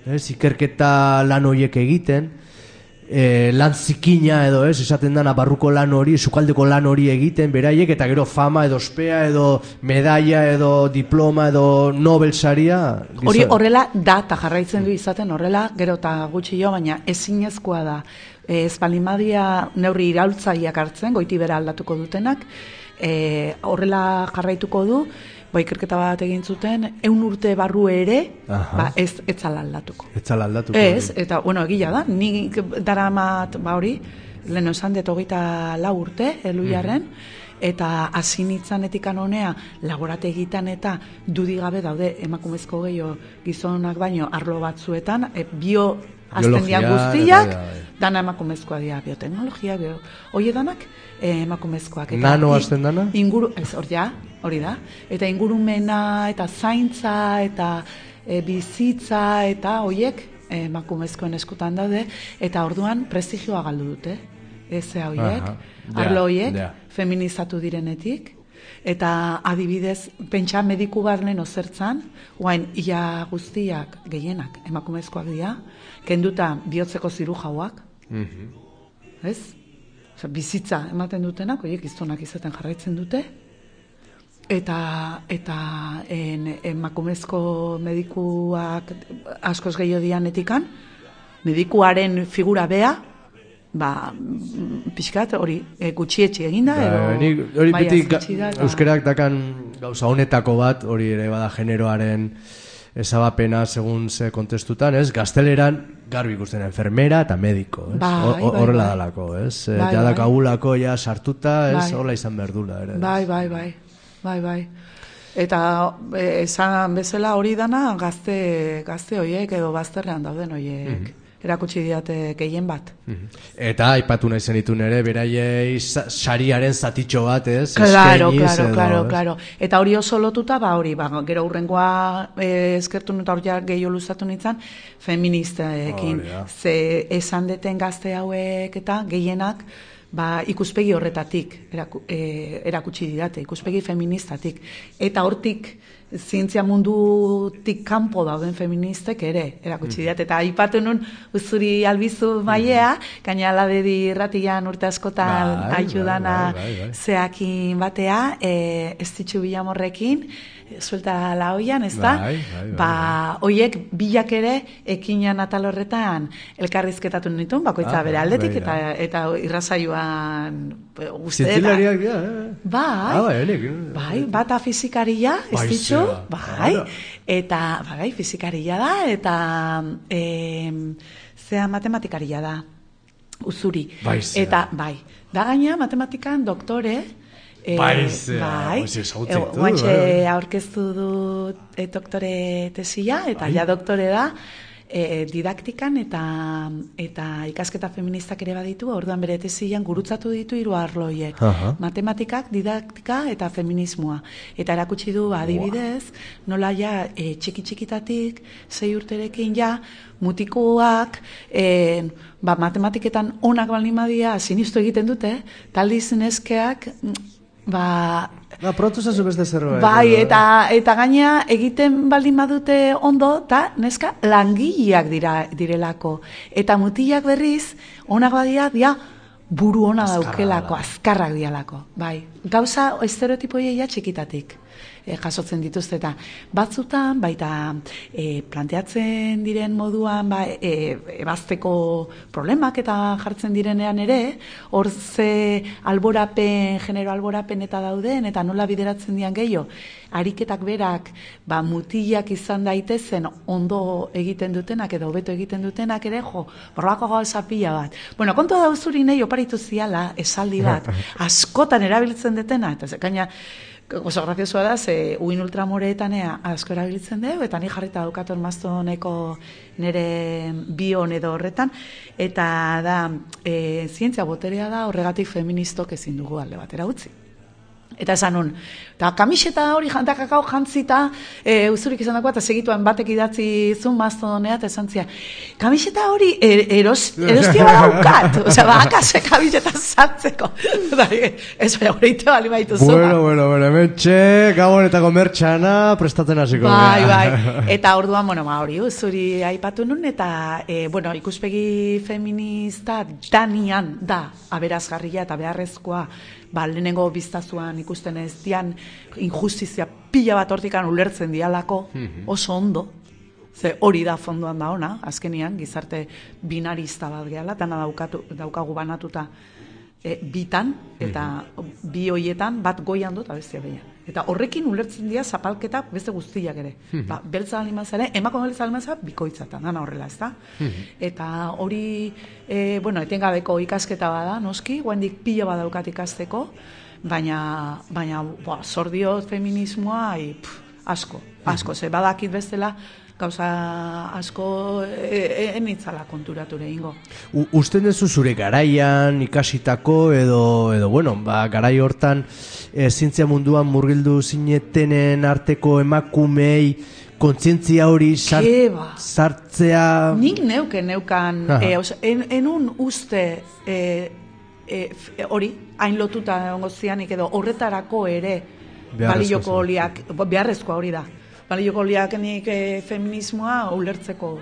ikerketa lan horiek egiten, lan zikina edo esaten dana barruko lan hori, sukaldeko lan hori egiten, beraiek, eta gero fama edo ospea edo medalla edo diploma edo Nobel saria. Hori horrela da, eta jarraitzen du izaten horrela, gero eta gutxi jo, baina ezinezkoa da. Espalimadia neurri iraultzaileak hartzen, goiti bera aldatuko dutenak, horrela jarraituko du, ikerketa bat egin zuten, 100 urte barru ere, ez zala aldatuko. Ez zala aldatuko. Ez, eta, egila da, nik daramat, hori, lehen esan dut 24 urte, Eluiarren, eta hasi nintzen etikan honea, laborategitan eta dudigabe daude emakumezko gehiago gizonak baino arlo batzuetan, bio aztendian guztiak, dana emakumezkoa dira, bioteknologia, hori danak emakumezkoak. Nano azten dana? Hori da. Eta ingurumena, eta zaintza, eta bizitza, eta horiek emakumezkoen eskutan daude, eta orduan prestigioa galdu dute. Horiek, arlo horiek, feminizatu direnetik, eta adibidez, pentsa mediku bat lehen ozertzan, guain ia guztiak gehienak emakumezkoak dira, kenduta bihotzeko zirujauak, ez? Bizitza ematen dutenak, horiek gizonak izaten jarraitzen dute, eta emakumezko medikuak askoz gehiago dian etikan, medikuaren figura bea, pixkat hori gutxietxe eginda, hori beti euskerak dakan gauza honetako bat, hori ere bada generoaren ezabapena segun ze kontestutan, ez? Gazteleran garbi ikusten enfermera eta mediko, ez? Horrela dalako, ez? Jadak agulako ja sartuta, ez? Horrela izan berdula, ere. Bai. Eta esan bezala hori dana gazte horiek edo bazterrean dauden horiek. Erakutsi diate gehien bat. Eta aipatu nahi zenitun ere, beraiei sariaren zatitxo bat, ez? Claro. Eta hori oso lotuta, gero hurrengoa eskertu eta hori gehiago luzatu nintzen, feministekin. Ze esan deten gazte hauek eta gehienak, ikuspegi horretatik erakutsi didate, ikuspegi feministatik. Eta hortik zientzia mundutik kanpo dauden feministek ere erakutsi diat, eta aipatu nun Uzuri Albizu Maiea, gaina Aladedi irratian urte askotan aitudana zeakin batea, ez ditxu Bilamorrekin, suelta la oian, ez da? Oiek bilak ere ekinan atal horretan elkarrizketatu nituen, bakoitza bere aldetik, eta irrasaioan uste. Zientzilariak dira, Bai, bata fizikaria, ez ditxu, eta, fizikaria da, eta zea matematikaria da, Uzuri. Eta, da gaina matematikan doktore, guantxe aurkeztu dut doktore tesia, eta ja doktore da, didaktikan eta ikasketa feministak ere baditu, orduan bere tesian gurutzatu ditu 3 arloiek. Matematikak, didaktika eta feminismoa. Eta erakutsi du adibidez, nola ja txiki-txikitatik, 6 urterekin ja, mutikoak, matematiketan onak baldin badia, sinistu egiten dute, taldiz neskeak, pronto zazu beste zerbait. Eta gaina egiten baldin badute ondo, eta neska langileak direlako. Eta mutilak berriz, onak badia, buru ona daukelako, azkarrak dialako. Gauza estereotipoia txikitatik jasotzen dituzte, eta batzutan, baita planteatzen diren moduan, ebazteko problemak eta jartzen direnean ere, hor ze alborapen, genero alborapen eta dauden, eta nola bideratzen dian gehiago, ariketak berak, mutilak izan daitezen ondo egiten dutenak, edo hobeto egiten dutenak ere, borrako gauza pila bat. Bueno, kontu da Uzuri nahi oparitu ziala, esaldi bat, askotan erabiltzen dutena, eta zekaina, oso graziosua da, ze uin ultramoreetan asko erabiltzen dugu, eta ni jarrita daukaton maztoneko nire bion edo horretan, eta da, zientzia boterea da, horregatik feministok ezin dugu alde batera utzi. Eta esan nun, eta kamiseta hori jantakakao jantzita, Uzurik izan dagoa, eta segituan batek idatzi zun maztonea, eta esan zia, kamiseta hori erostia badaukat, akase kamiseta zartzeko. Ez bai, horreite bali baitu zuma. Bueno, hementxe, gabonetako mertxana prestatzen hasiko. Eta orduan, hori Uzuri aipatu nun, eta, ikuspegi feminista danian da, aberazgarria eta beharrezkoa, lehenengo biztazuan ikusten ez dian injustizia pila bat hortikan ulertzen dialako oso ondo, ze hori da fondoan da ona, azkenian, gizarte binarista bat gehala, dana daukagu banatuta bitan, eta bi hoietan bat goian dut, bestia behian. Eta horrekin ulertzen dira zapalketak beste guztiak ere. Beltza alimazare, emako beltza alimazare, bikoitzatan, dana horrela, ez da? Eta hori, etengabeko ikasketa bada, noski, guendik pila badaukat ikasteko, baina zordiot feminismoa, asko, ze badakit bestela, gauza asko enitzala konturature ingo. Usten duzu zure garaian ikasitako edo garai hortan zientzia munduan murgildu zinetenen arteko emakumei kontzientzia hori sartzea... Nik neukan, enun uste hori, hain lotuta ongo zianik edo horretarako ere balioko oliak, beharrezkoa hori da. Balioko oliakenik feminismoa ulertzeko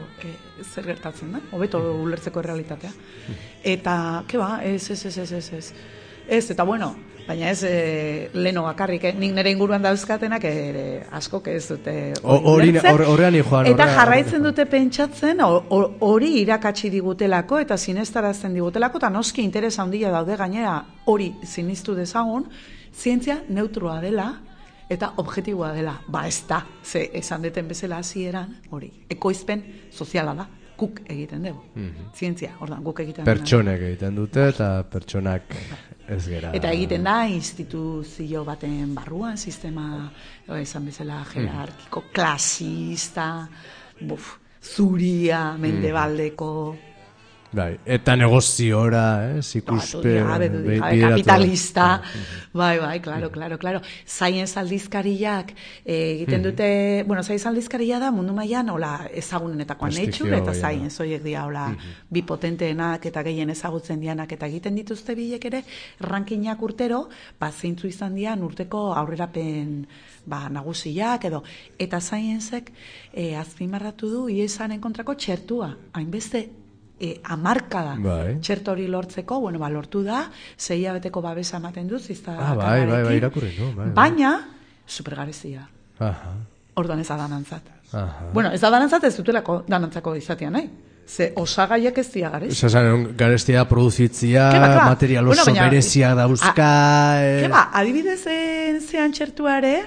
zer gertatzen da, hobeto ulertzeko errealitatea. Eta, ez, eta baina ez leno bakarrik, nik nire inguruan dauzkatenak askok ez dute ulertzen. Eta jarraitzen dute pentsatzen, hori irakatsi digutelako eta sinestarazten digutelako, eta noski interesa handia daude gainera hori sinistu dezagun, zientzia neutroa dela, eta objektiboa dela, ez da, ze esan deten bezala hasieran hori, ekoizpen soziala da, guk egiten dugu, zientzia, ordan guk egiten dugu. Pertsonek egiten dute eta pertsonak ez gera. Eta egiten da, instituzio baten barruan, sistema, esan bezala, jerarkiko, klasista, zuria, mendebaldeko, Bai, eta negoziora, kapitalista. Bai, claro. Science aldizkariak egiten dute, Science aldizkaria da mundu mailan hola ezagunenetakoa Nature eta Science hoiek dira hola bi potenteenak eta gehien ezagutzen dianak eta egiten dituzte bilek ere rankingak urtero, zeintzu izan dian urteko aurrerapen nagusiak edo eta Scienceek azpimarratu du IESaren kontrako txertua, hainbeste amarkada txerto hori lortzeko, lortu da, 6 hilabeteko babesa ematen du, bai, irakurri, baina, supergarezia. Orduan ez da danantzat. Ez da danantzat ez dutelako danantzako izatea, nahi? Ze osagaiak ez dira garezia. Garezia produzitzia, material oso berezia dauzka. Adibidez zean txertuare,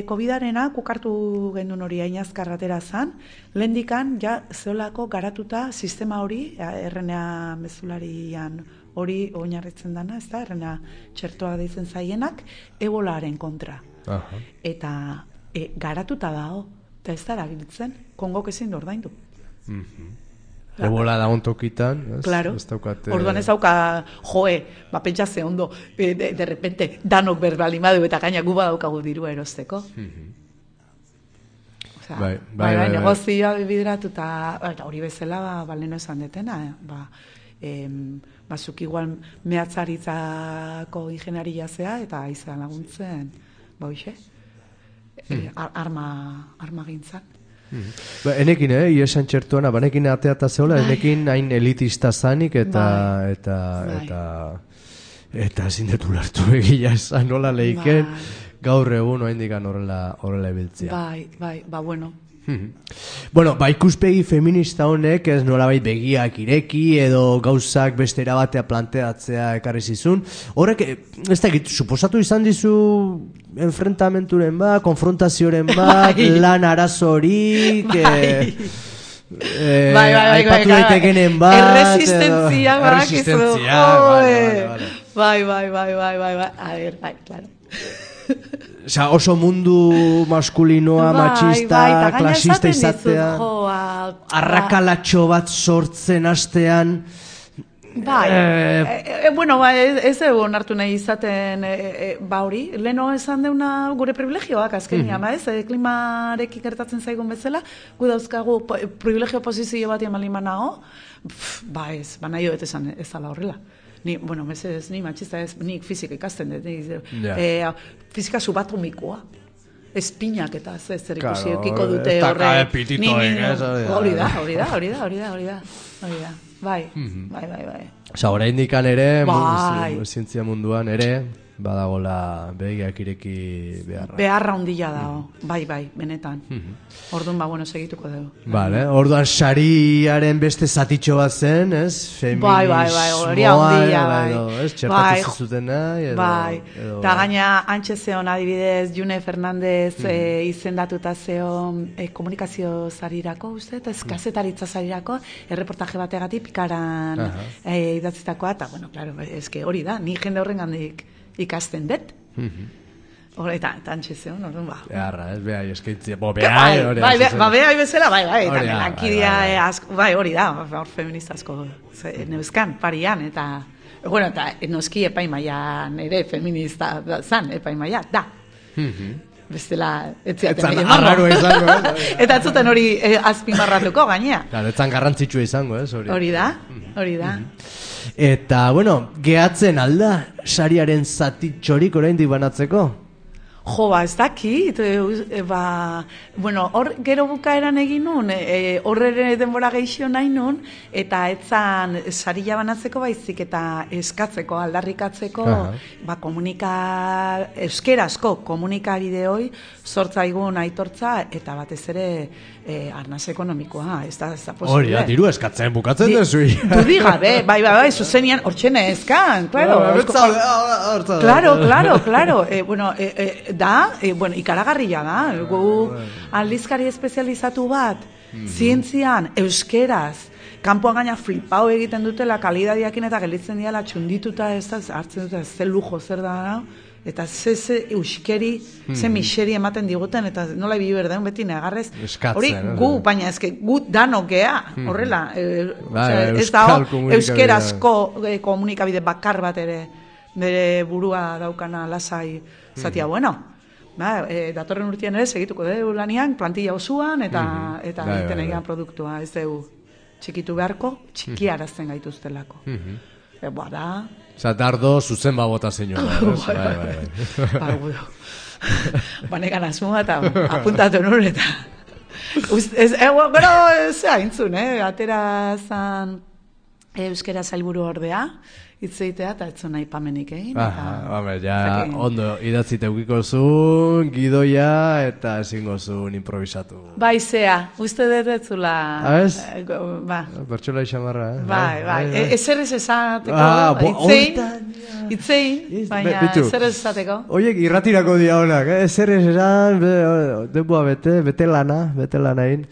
COVID-arena, kukartu gendun hori ainazkarratera zan, lehendikan, zeolako garatuta sistema hori, RNA mezularian hori oinarritzen dana, ez da, RNA txertua deitzen zaienak, ebolaren kontra. Eta garatuta dago, eta ez da erabiltzen, Kongok ezin du ordaindu. Ebola da ontokitan, claro. Orduan ez dauka, pentsa ze ondo, de repente, danok berbalimadu eta gaina gu badaukagu dirua erosteko. Bai, negozioa bideratuta, hori bezala, baleno esan detena, zuk igual mehatzaritzako ingenieria zea eta izan laguntzen, arma gintzan. Enekin, iesan txertuana, banekin ateata zehola, enekin hain elitista zanik eta zindetu lartu egila esan nola lehiken, gaur egun oaindikan horrela ebiltzia. Bai, bueno. Ikuspegi feminista honek ez nolabait begiak ireki edo gauzak beste erabatea planteatzea ekarri zizun. Horrek, ez da, suposatu izan dizu enfrentamenturen konfrontazioren lan arazorik, aipatu daitekenen erresistentzia bai, claro. Oso mundu maskulinoa, machista, klasista izatea, arrakalatxo bat sortzen hastean. Ez onartu nahi izaten hori. Leno esan deuna gure privilegioak azkenia, klimarekin gertatzen zaigun bezala, gu dauzkagu privilegio posizio bat emalimanago, nahi hoet esan ez ala horrela. Ni machista ez, nik fizika ikasten dut, fizika subatomikoa, espinak eta zer ikusi eukiko dute hori da. Bai. Osa, oraindikan ere, zientzia munduan ere, badagola begiak ireki beharra. Beharra hundila dago, bai, benetan. Orduan, segituko dugu. Orduan, sariaren beste zatitxo bat zen, ez? Bai, hori hundila, bai. Txertatu zuzutena. Bai, eta gaina antxe zeon adibidez, June Fernandez izendatuta zeon komunikazio zarirako, uste, eta kazetaritza zarirako, erreportaje bategatik pikaran idatzitakoa, eta, claro, eske hori da, ni jende horren gandik ikasten dut. Eta antxe zeon, orduan, beharra, ez, behai eskaitzia, behai bezala, eta lankidia, hori da, hor feministazko neuzkan, parian, eta noski epaimaian ere feminista zan, epaimaia, da. Bestela, etziaten arraro izango, eta atzuten hori azpimarratuko gainea. Etzan garrantzitsua izango, ez, hori da. Eta, gehatzen alda sariaren zatitxorik oraindik banatzeko? Ez dakit, hor gero bukaeran egin nun, horre denbora gehixio nahi nun, eta etzan sarila banatzeko baizik eta eskatzeko, aldarrikatzeko, euskerazko komunikabideoi sortzaigun aitortza, eta batez ere arnaz ekonomikoa, ez da posible. Hori, diru eskatzen bukatzen dezu. Dudi gabe, bai, zuzenian, hortxene eskan, claro. Claro. Ikaragarria da, gu aldizkari espezializatu bat, zientzian, euskeraz, kanpoan gaina flipau egiten dutela kalidadiakin eta gelditzen diala txundituta ez da, hartzen dute, ze lujo zer da, eta ze euskeri, ze miseri ematen diguten, eta nola ibi berdeun beti negarrez. Hori gu, baina ezke, gu danok gea, horrela. Ez da, euskerazko komunikabide bakar bat ere, bere burua daukana lasai zatia, bueno, datorren urtean ere segituko dugu lanian, plantilla osoan, eta egiten egian produktua, ez dugu txikitu beharko, txikiarazten gaituztelako. Da... Osa, dardo zuzen babota zinua. Bai. Banekan asmoa eta apuntatu nur eta... Gero, ez haintzun, atera zan euskera zailburu ordea, hitzeitea eta etzun nahi pamenik egin. Ondo idatzite eukiko zuen, gidoia eta ezingo zuen improvisatu. Bai, zea, uste detzula... Ez? Bertxola isamarra, Bai. Ezer ez esateko, itzein, baina ezer ez esateko. Oiek, irratirako dia honak, ezer ez esan, denboa bete lana egin.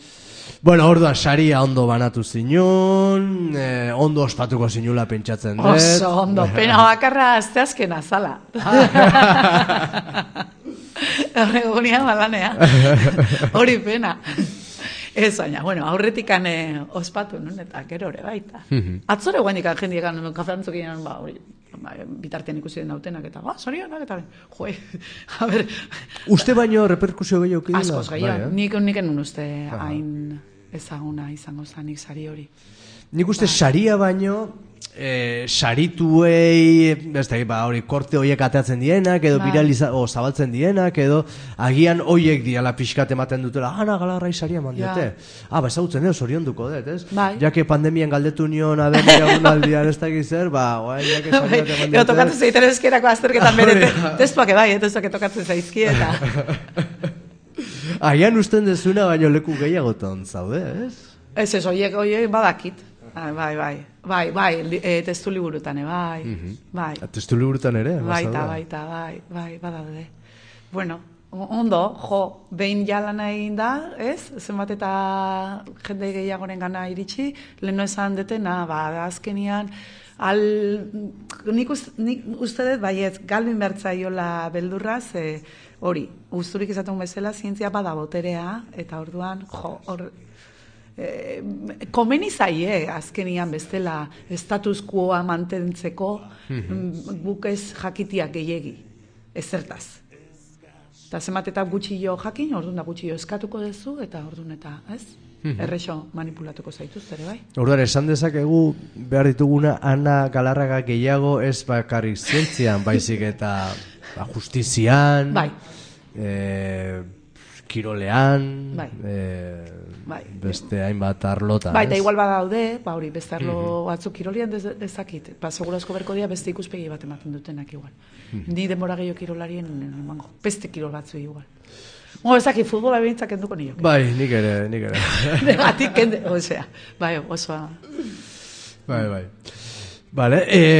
Bueno, orduan, saria ondo banatu zinun, ondo ospatuko zinula pentsatzen dut. Oso ondo, pena bakarra azteazken azala. Horregunean balanea. Hori pena. Ez baina, bueno, aurretikan ospatu nun, eta gero ere baita. Atzore guendikan jendiekan kafeantzukinan, hori, bitartean ikusi den nautenak, eta zorionak, eta joe, a ber... Uste baino reperkusio gehiago kidela? Askoz gehiago, nik enun uste hain ezaguna izango zanik sari hori. Nik uste saria baino, sarituei, hori, korte horiek ateatzen dienak, edo zabaltzen dienak, edo agian horiek diala pixkat ematen dutela, Ana Galarrai saria mandiote. Ezagutzen zorionduko dut, ez? Jake pandemian galdetu nion abeneragunaldian ez dakiz zer, jake saria mandiote. Tokatzen zeiten eskerako azterketan bere, testuak testuak tokatzen zaizki eta... Agian usten dezuna, baino leku gehiagoton zaude, ez? Ez, horiek badakit. Bai, testu liburutan, bai. Testu liburutan ere? Bai, badaude. Bueno, ondo, behin jalan egin da, ez? Zenbat eta jende gehiagoren gana iritsi, leheno esan detena, azkenian, nik uste dut, baiet, galbin bertzaiola beldurraz, hori, usturik izaten bezala, zientzia bada boterea, eta orduan, komeni zaie azkenian bestela status quoa mantentzeko guk ez jakitiak gehiegi, ezertaz. Eta zenbat eta gutxillo jakin, orduan da gutxillo eskatuko duzu, eta orduan eta, ez? Errexo manipulatuko zaituz, ere bai? Orduan, esan dezakegu behar dituguna Ana Galarraga gehiago ez bakarrik zientzian, baizik eta justizian, kirolean, beste hainbat arlota. Bai, eta igual badaude, hori, beste arlo batzuk kirolian dezakit. Segurazko berko dia beste ikuspegi bat ematen dutenak igual. Ni denbora gehiago kirolarien emango. Beste kirol batzu igual. Ezakit, futbola behintzak enduko nioke. Bai, nik ere. Negatik, osea, bai, osoa. Bai. Vale,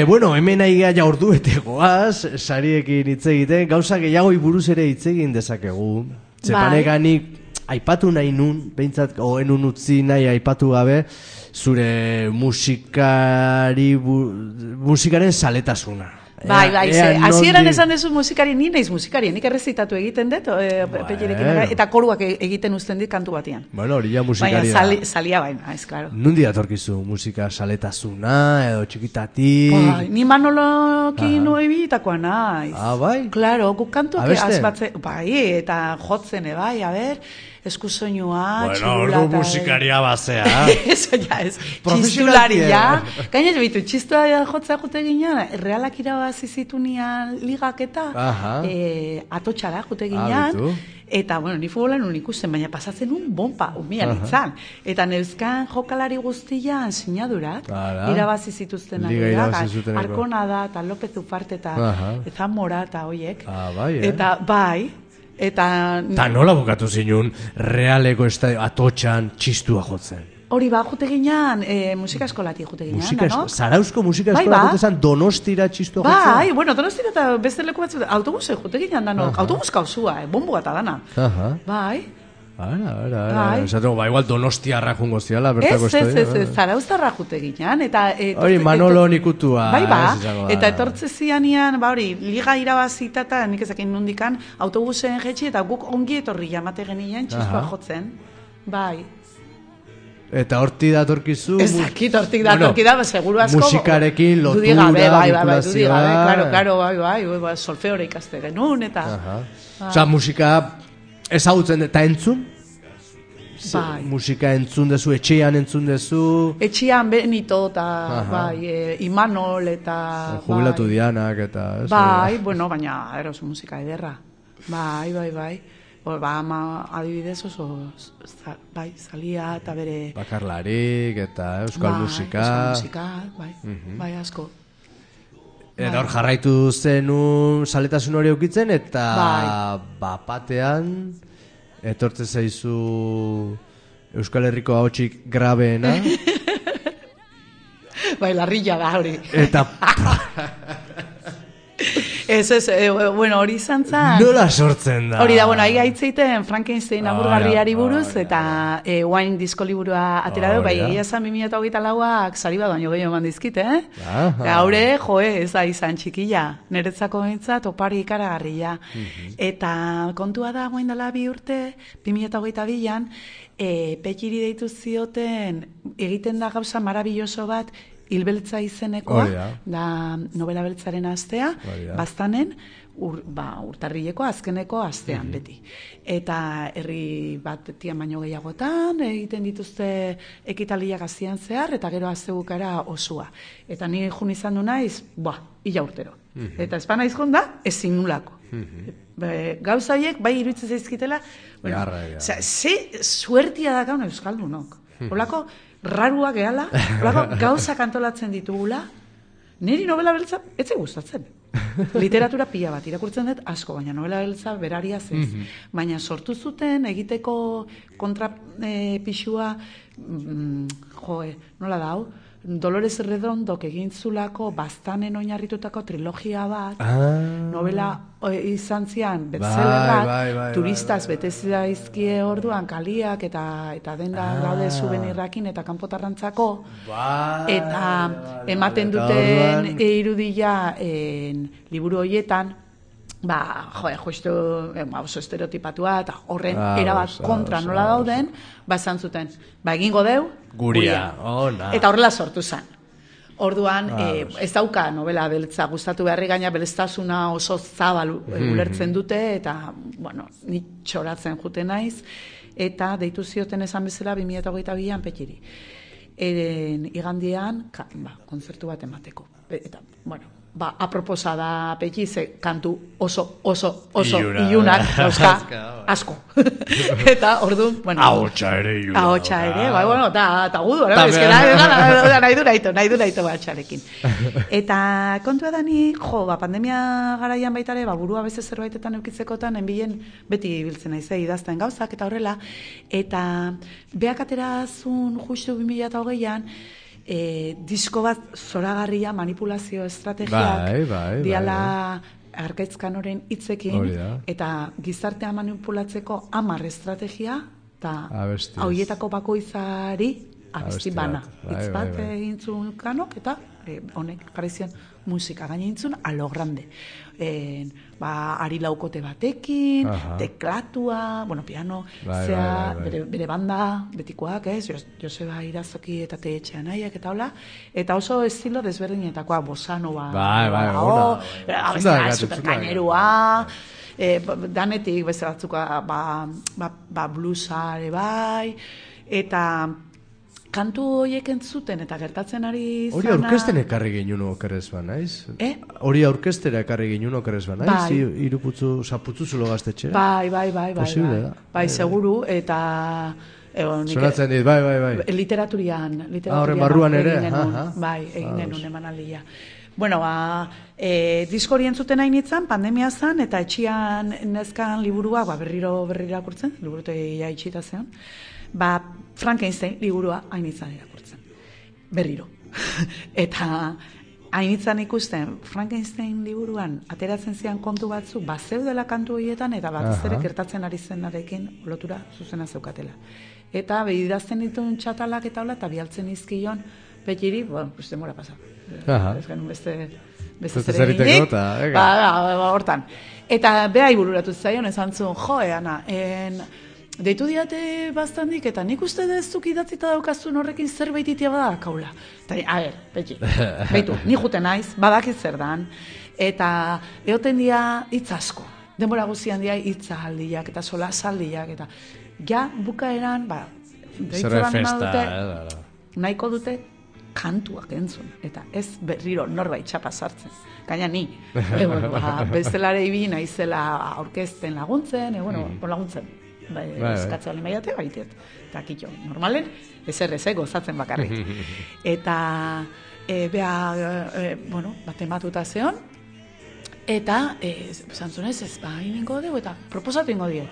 bueno, hemen aigea ja ordu betegoaz, sariekin hitz egiten, gauza gehiago buruz ere hitz egin dezakegu. Zepaneganik aipatu nahi nun, behintzat, enun utzi nahi aipatu gabe, zure musikaren saletasuna. Bai, hasieran esan dezu musikari, ni naiz musikari, nik errezitatu egiten dut, eta koruak egiten uzten dit kantu batian. Bueno, hori ja musikari da. Baina salia baina, ez, klaro. Nundi datorkizu musika saletasuna, edo txikitatik? Bai, ni Manolokin noebitakoa naiz. Bai? Klaro, guk kantuak azbatze, bai, eta jotzen, bai, a ber... eskusoinua, txulata... Bueno, ordu musikaria bazea. Eso ya es, txistularia. Gainez behitu, txistularia jotzea jute ginean, realak irabazi zitunian ligak eta atotxara jute ginean. Eta, bueno, ni futbolan ikusten, baina pasatzen bomba, umian itzan. Eta neuzkan jokalari guztian sinadurak, irabazi zituzten Arkona da, eta López Ufarte, eta Mora, eta hoiek. Eta, bai... Eta nola bukatu zinun realeko estadio atotxan txistua jotzen? Hori jute ginean, musika eskolati jute ginean, no? Zarauzko musika eskolati jute zen Donostira txistua jotzen? Bai, bueno, Donostira eta beste leku batzu, autobuse jute ginean, dano, autobus kauzua, bombo gata dana. Bai, Ara. Esateko, igual Donostiarra jungo ziala, bertako estoia. Ez, Zarauztarra jute ginean. Hori, Manolo nikutua. Eta etortze zianian, hori, liga irabazita eta nik ezakin nundikan, autobusen jetxi, eta guk ongi etorri jamate genien, txizkoa jotzen. Bai. Eta horti datorkizu... Ezakit, hortik datorki da, seguru asko... Musikarekin, lotura, vinculazioa... Claro, solfeore ikaste genuen, eta... Osa, musika ezagutzen eta entzun? Bai. Musika entzun dezu, etxean entzun dezu... Etxean Benito, eta Imanol, eta... Jubilatu Dianak, eta... Bai, bueno, baina, eros musika ederra. Bai. Adibidez oso bai, salia eta bere bakarlarik eta euskal musika, bai asko. Eta hor jarraitu zenun saletasun hori eukitzen eta batean etortze zaizu Euskal Herriko ahotsik grabeena. Bai, larrilla da hori. Eta bueno, hori izan zan... Nola sortzen da? Hori da, bueno, ahi gaitzeiten Frankenstein agurgarriari buruz, eta Wine disko liburua atera du, bai, egia zan 2024ak sari bat baino gehiago mandizkit, Gaure, ez da izan txikila, niretzako bintzat, opari ikaragarria. Eta kontua da, guain dela 2 urte, 2022an, Petxiri deitu zioten, egiten da gauza marabilloso bat, Hilbeltza izenekoa, da novela beltzaren astea, baztanen, urtarrileko azkeneko astean beti. Eta herri bat tian baino gehiagotan, egiten dituzte ekitaliak azian zehar, eta gero aztegukara osua. Eta ni jun izan du naiz, ila urtero. Eta espan naiz jonda, ezin nulako. Gauzaiek, bai iruditzen zaizkitela, ze suertia da gauna euskaldunok. Olako, rarua gehala, gauzak antolatzen ditugula, niri novela beltza, etze gustatzen. Literatura pila bat, irakurtzen dut asko, baina novela beltza beraria zez. Baina sortu zuten, egiteko kontra pixua, nola da hau? Dolores Redondok egin zulako baztanen oinarritutako trilogia bat, novela izan zian bestsellerrak, turistaz betezi daizkie orduan kaliak eta denda daude souvenirrakin eta kanpotarrantzako, eta ematen duten irudia liburu horietan, justu oso estereotipatua eta horren erabat kontra nola dauden, esan zuten, egingo deu, guria. Eta horrela sortu zen. Orduan, ez dauka novela beltza gustatu beharri, gaina beleztasuna oso zabal ulertzen dute, eta, bueno, ni txoratzen jute naiz, eta deitu zioten esan bezala 2022an Petxiri. Igandian, kontzertu bat emateko. Eta, bueno, aproposa da Petxi, ze kantu oso ilunak, asko. Eta, orduan, bueno... Ahotsa ere iluna. Ahotsa ere, bueno, eta gudu, nahi du naito batxarekin. Eta kontua da ni, pandemia garaian baitare, burua beste zerbaitetan eukitzekotan, enbilen beti biltzen naizei idazten gauzak, eta horrela, eta beak aterazun justu 2020an, disko bat zoragarria manipulazio estrategiak diala Arkaitzkanoren hitzekin eta gizartea manipulatzeko 10 estrategia eta hauietako bakoitzari abesti bana hitz bat egin zuen Kanok eta honek jarri zion musika gainentzun a lo grande. Ari laukote batekin, teklatua, piano, bere banda, betikoak, Joseba Irazoki eta Teetxe Anaiak eta hola, eta oso estilo desberdinetakoa, bosanova, superkainerua, danetik beste batzuka, bluesare bai, eta kantu horiek entzuten eta gertatzen ari zana... Hori aurkesten ekarri ginen okerrez ba, naiz? Hori aurkestera ekarri ginen okerrez ba, naiz? Iruputzu, zaputzu zulo gaztetxera? Bai. Posible da. Bai, seguru, eta... Sonatzen dit, bai. Literaturian horren barruan ere? Bai, egin genuen emanaldia. Bueno, disko hori entzuten hain itzan, pandemia zan, eta etxian nezkan liburua, berriro akurtzen, liburutegia itxita zeon, Frankenstein liburua hain izan irakurtzen. Berriro. Eta hainitzan ikusten, Frankenstein liburuan ateratzen zian kontu batzu, bazeudela kantu horietan, eta batez ere gertatzen ari zenarekin lotura zuzena zeukatela. Eta behidazten dituen txatalak eta hola, eta bialtzen izkion, petiri, bueno, pues demora pasa. Ez genuen beste zer eginik, hortan. Eta beha ibururatu zaion, esan zuen, Ana, deitu diate bastandik, eta nik uste dezuk idatzita daukazun horrekin zerbait itia badakaula. Eta, a ber, beitu, ni jute naiz, badakit zer dan, eta eoten dia hitz asko. Denbora guzian dia hitza aldiak, eta sola saldiak, eta ja bukaeran, nahiko dute kantuak entzun, eta ez berriro norbait txapa sartzen. Gaina ni, bestelare ibili naizela aurkezten laguntzen, laguntzen. Eskatze bali maiate, baitet. Eta kitxo, normalen, ezer gozatzen bakarrik. Eta, batematuta zeon, eta, zantzunez, ez ingo dugu, eta proposatu ingo diet.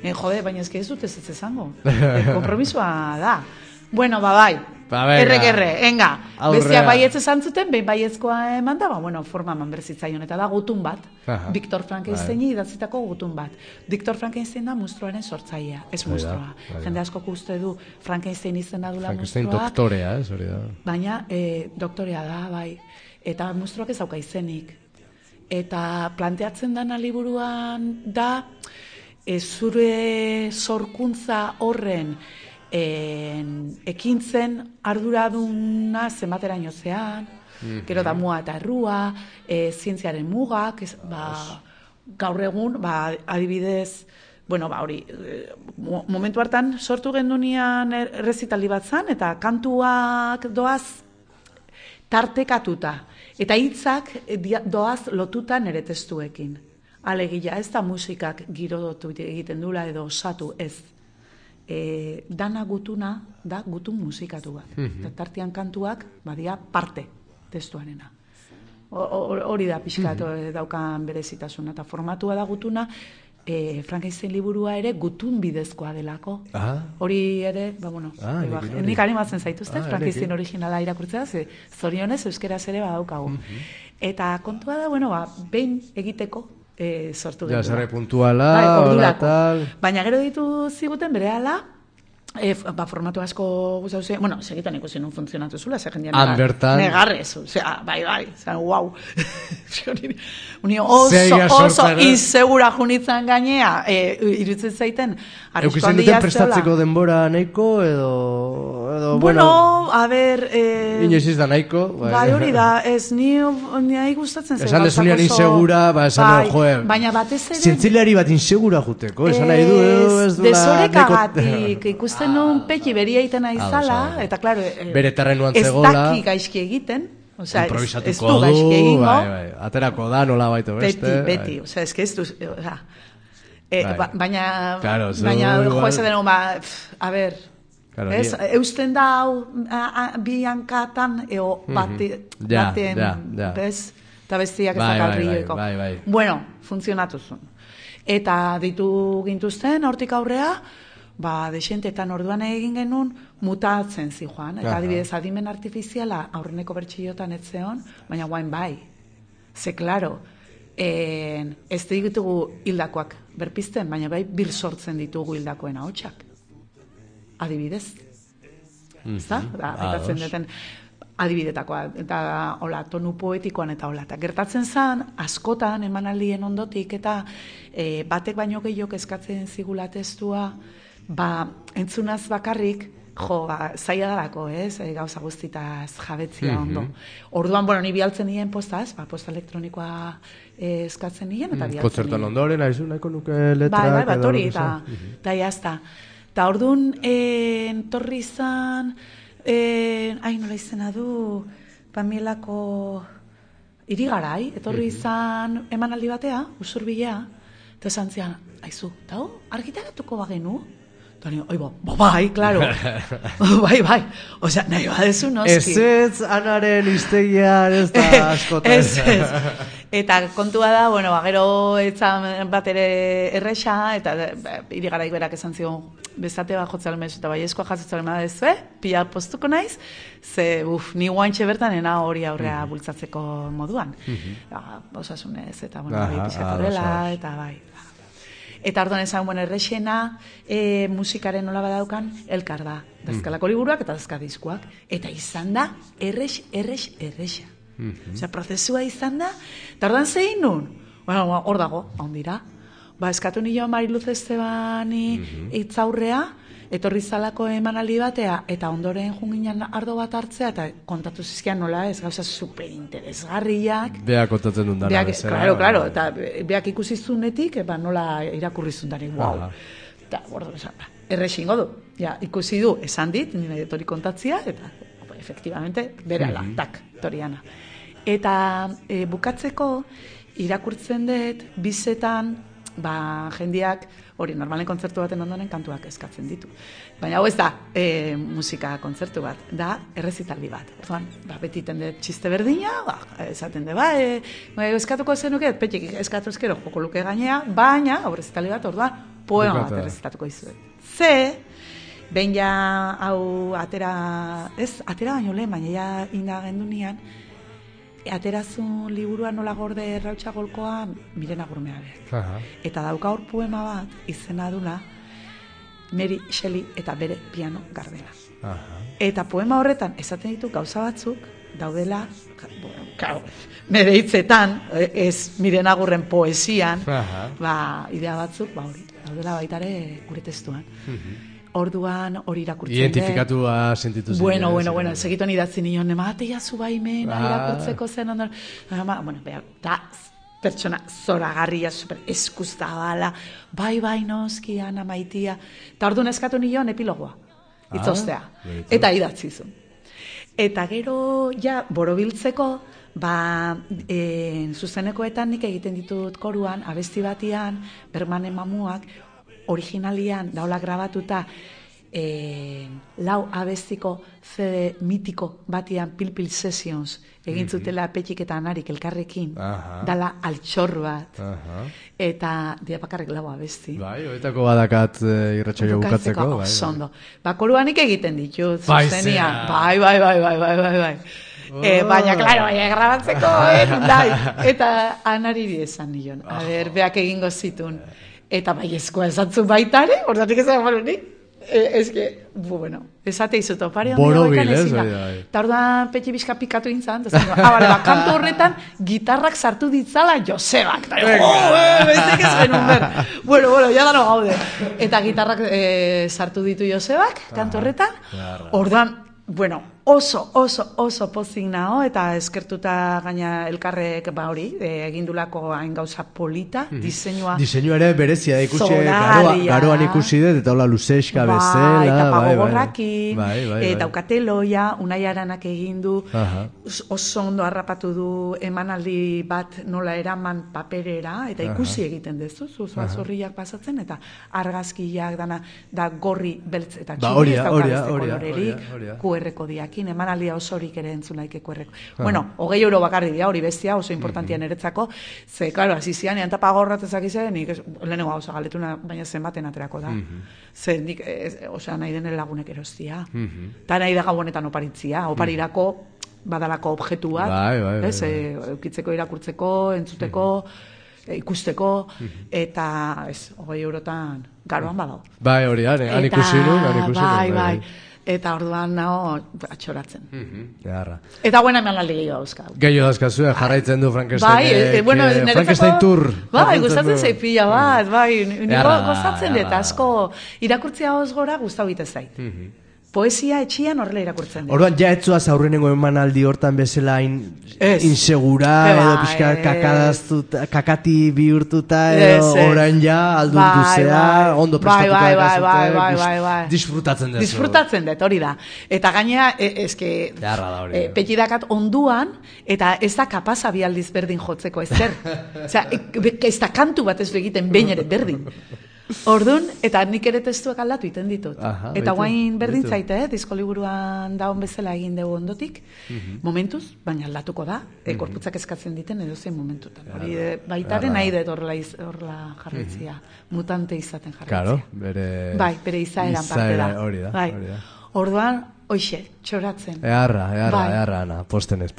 Jode, baina ez dut ez ezango. Kompromisoa da. Bueno, bai. Erre, enga. Bestiak baietz esan zuten, behin baiezkoa eman da, forma eman berzitzaion, eta da gutun bat. Victor Frankensteini idatzitako gutun bat. Victor Frankenstein da monstruaren sortzailea, ez monstrua. Jende asko uste du Frankenstein izena dula monstruak. Frankenstein doktorea, hori da. Baina, doktorea da, bai. Eta monstruak ez dauka izenik. Eta planteatzen dana liburuan da, zure sorkuntza horren ekintzen arduraduna zenbateraino zean, gero da mua eta errua, zientziaren mugak, gaur egun, adibidez, hori, momentu hartan sortu gendunean errezitali bat zan, eta kantuak doaz tartekatuta, eta hitzak doaz lotuta nere testuekin. Alegia, ez da musikak girodotu egiten dula edo osatu ez. Dana gutuna da gutun musikatu bat. Tartian kantuak badia parte testuarena. Hori da pixkat daukan berezitasuna. Eta formatua da gutuna, Frankenstein liburua ere gutun bidezkoa delako. Hori ere, nik animatzen zaituzte, Frankenstein originala irakurtzea, zorionez euskeraz ere badaukagu. Eta kontua da, behin egiteko, sortu gendu. Zerre puntuala, hola tal. Baina gero ditu ziguten bere ala, formatu asko guztau zen, segitan ikusi nun funtzionatu zula, jendean negarrez, bai, guau. Uni oso insegura junitzen gainea, irutzen zaiten, arriskoan diazteola. Prestatzeko denbora nahiko, edo... a ber... Inoiz da nahiko. Bai, hori da, ez nahi gustatzen zen. Esan desunean insegura, esan joer. Baina batez ere... Zientzileari bat insegura juteko, esan nahi du, ez du... Desorekagatik, ikusten nun peki beria iten aizala, eta klaro... Bere terrenuan zegoela... Ez daki gaizki egiten, improvisatuko du, aterako da, nola baito beste... Beti, ez que ez du... Baina joesa deno, a ber... Eusten da bi hankatan eo baten eta bestiak ezakarrioeko. Bueno, funtzionatu zuen. Eta ditu gintuzten, hortik aurrea, desentetan orduan egin genuen mutatzen zijoan. Eta adibidez, adimen artifiziala aurreneko bertxillotan etzeon, baina guain bai. Ze, klaro, ez ditugu hildakoak berpizten, baina bai bir sortzen ditugu hildakoen ahotsak. Adibidez. Eta deten adibidetakoa, eta hola, tonu poetikoan eta hola. Eta gertatzen zen, askotan emanaldien ondotik, eta batek baino gehiok eskatzen zigula testua, entzunaz bakarrik, zaila dalako, gauza guztitaz jabetzia ondo. Orduan, ni bialtzen nien postaz, posta elektronikoa eskatzen nien, eta bialtzen nien. Kontzertuan ondoren, nahiko nuke letrak. Bai, hori, eta jazta. Eta orduan, torri izan, nola izena du, Pamielako irigarai, etorri izan emanaldi batea, Usurbilea, eta esan zian, aizu, eta argitaratuko bagenu? Eta nio, bai, klaro, bai, osea, nahi badezu noski. Ez anaren iztegian ez da askotan. Ez. Eta kontua da, bueno, gero etzan bat ere erresa, eta irigaraik berak esan zion, bezate bat jotzalen mezu, eta bai eskoa jasotzalen madezue, pila postuko naiz, ze, ni guantxe bertan ena hori aurrea bultzatzeko moduan. Osasunez, eta, bueno, bai pizkatorela, eta bai. Eta orduan esan, bueno, errexena musikaren nola badaukan, elkar da. Dazkalako liburuak eta dazka diskuak. Eta izan da, errexa. Osea, prozesua izan da, eta orduan zein nun? Bueno, hor dago, ondira. Eskatu nio Mariluz Estebani itzaurrea, etorri zalako emanaldi batea, eta ondoren junginan ardo bat hartzea, eta kontatu zizkian nola ez, gauza superinteresgarriak. Beak kontatzen dut dara bezala. Claro, eta beak ikusi zunetik, nola irakurri zundari, wow. Eta, bordo, errexingo du. Ja, ikusi du, esan dit, nire etori kontatzia, eta, efectivamente, berala, tak, toriana. Eta bukatzeko, irakurtzen dut, bizetan, jendiak, hori, normalen kontzertu baten ondoren kantuak eskatzen ditu. Baina hau ez da musika kontzertu bat, da errezitaldi bat. Orduan, beti tende txiste berdina, esaten de, eskatuko zenuket, petxik eskatu ezkero joko luke gainea, baina, errezitaldi bat, orduan, poema bat errezitatuko izuet. Behin ja, hau, atera baino lehen, baina ja inda gendunean, aterazun liburua nola gorde Rautxa Golkoa Mirena Gurmeabe. Eta dauka hor poema bat izena dula Mary Shelley eta bere piano gardena. Eta poema horretan esaten ditu gauza batzuk daudela, nire hitzetan, ez Mirena Gurren poesian, idea batzuk, hori, daudela baitare gure testuan. Orduan hori irakurtzen dut. Identifikatua sentitu zen. Bueno, segituan idatzi nion, ematea zu baimena irakurtzeko zen ondoren. Bueno, da pertsona zoragarria, super eskuztabala, bai noski, Ana Maitia. Eta orduan eskatu nion epilogoa, itzostea. Eta idatzi zuen. Eta gero, ja, borobiltzeko, zuzenekoetan nik egiten ditut koruan, abesti batian, Bergmanen Mamuak, originalian daula grabatuta 4 abestiko CD mitiko batian Pil Sessions egin zutela Petxik eta Anarik elkarrekin, dala altxor bat, eta dia bakarrik 4 abesti. Bai, hoetako badakat irratsaio bukatzeko. Osondo. Koruanik egiten ditut, zuzenian. Bai. Baina, klaro, grabatzeko, eta Anari esan nion. Beak egingo zitun. Eta baiezkoa esatzu baitare, ordatik ezan balonik. Bueno, esate izuto, pare borobil, ez? Eta orduan petxi bizka pikatu intzan, kantu horretan gitarrak sartu ditzala Josebak. Bestek ez genuen ber. Bueno, ya dano gaude. Eta gitarrak sartu ditu Josebak, kantu horretan. Orduan, bueno, oso pozik nao, eta eskertuta gaina elkarrek hori, egindulako hain gauza polita, diseinua. Diseinua ere berezia, ikusi, garoan ikusi dut, eta hola luzeska bezala. Eta pagogorrakin, eta ukateloia, Unai Aranak egindu, oso ondo harrapatu du emanaldi bat nola eraman paperera, eta ikusi egiten dezu, zorriak pasatzen, eta argazkiak dana, da gorri beltz eta txuri, ez daukadezte kolorerik, QR kodiakin, emanaldia osorik ere entzunaik QR. Bueno, 20 euro bakarri dira, hori bestia, oso importantia niretzako, ze, klaro, azizian, ean tapagorratezak izan, nik lehenengo gauza galetuna, baina zenbaten aterako da. Ze, nik, osea, nahi den lagunek erostia. Eta nahi da gabonetan oparitzia, oparirako badalako objektu bat, eukitzeko, irakurtzeko, entzuteko, ikusteko, eta, 20 eurotan, garoan badao. Bai, hori, han ikusi nu. Bai. Eta orduan nago atxoratzen. Eta buena emanaldi gehiago dauzkau. Gehiago dauzkazu, jarraitzen du Frankenstein. Frankenstein Tour. Bai, gustatzen zeipila bat, nire gozatzen dut, asko irakurtzia hoz gora gustau bite zait. Poesia etxian horrela irakurtzen dut. Orduan, ja etzuaz aurrenengo emanaldi hortan bezala insegura, edo pixka kakati bihurtuta, edo orain ja aldundu zea, ondo prestatuta bai. Disfrutatzen dut. Disfrutatzen dut, hori da. Eta gainea, petidakat onduan, eta ez da kapasa bialdiz berdin jotzeko, ez zer. Ez da kantu bat ez du egiten behin ere berdin. Ordun, eta nik ere testuak aldatu iten ditut. Aha, eta baitu, guain berdin baitu. zaite, disko liburuan daun bezala egin dugu ondotik, momentuz, baina aldatuko da, korputzak eskatzen diten edozein momentutan. Hori baitaren nahi dut horrela jarraitzia, mutante izaten jarraitzia. Claro, bere... Bai, bere izaeran parte da. Hori da, Bai. hori da. Orduan, hoxe, txoratzen. Eharra, ana, postenez.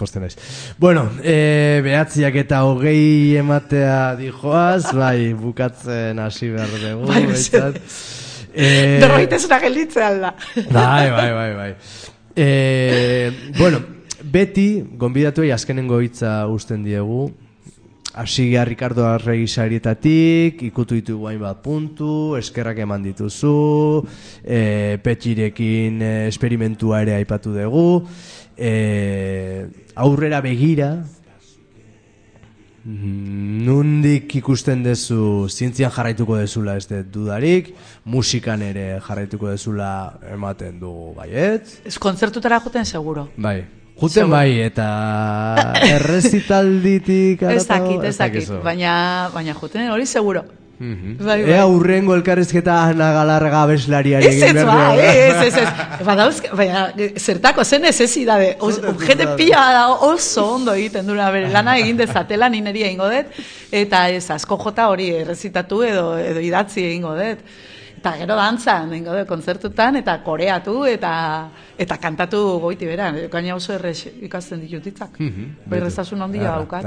Bueno, 9:20 ematea dijoaz, bai, bukatzen hasi behar dugu. Bai, behintzat. Berroitezuna gelditzea alda. Bai. Bueno, beti, gonbidatuei azkenengo hitza uzten diegu, hasi gara Ricardo Arregi sarietatik, ikutu ditugu hainbat puntu, eskerrak eman dituzu, Petxirekin esperimentua ere aipatu dugu, aurrera begira, nundik ikusten dezu, zientzian jarraituko dezula ez dut dudarik, musikan ere jarraituko dezula ematen dugu, baiet? Ez kontzertutara joten seguro. Bai. Juten bai, eta errezitalditik Ez dakit, baina juten hori seguro. Bai. Ea urrengo elkarrizketa Ana Galarraga abeslariari egin behar dugu. Ez. Badauzke, baina zertako zen necesidade. Jende pila da oso ondo egiten dura bere lana egin dezatela nineria egingo dut, eta ez asko jota hori errezitatu edo idatzi egingo dut. Eta gero dantzan, egingo dut kontzertutan, eta koreatu, eta kantatu goiti beran. Gaina oso errez ikasten ditutitzak. Berrezasun handia daukat.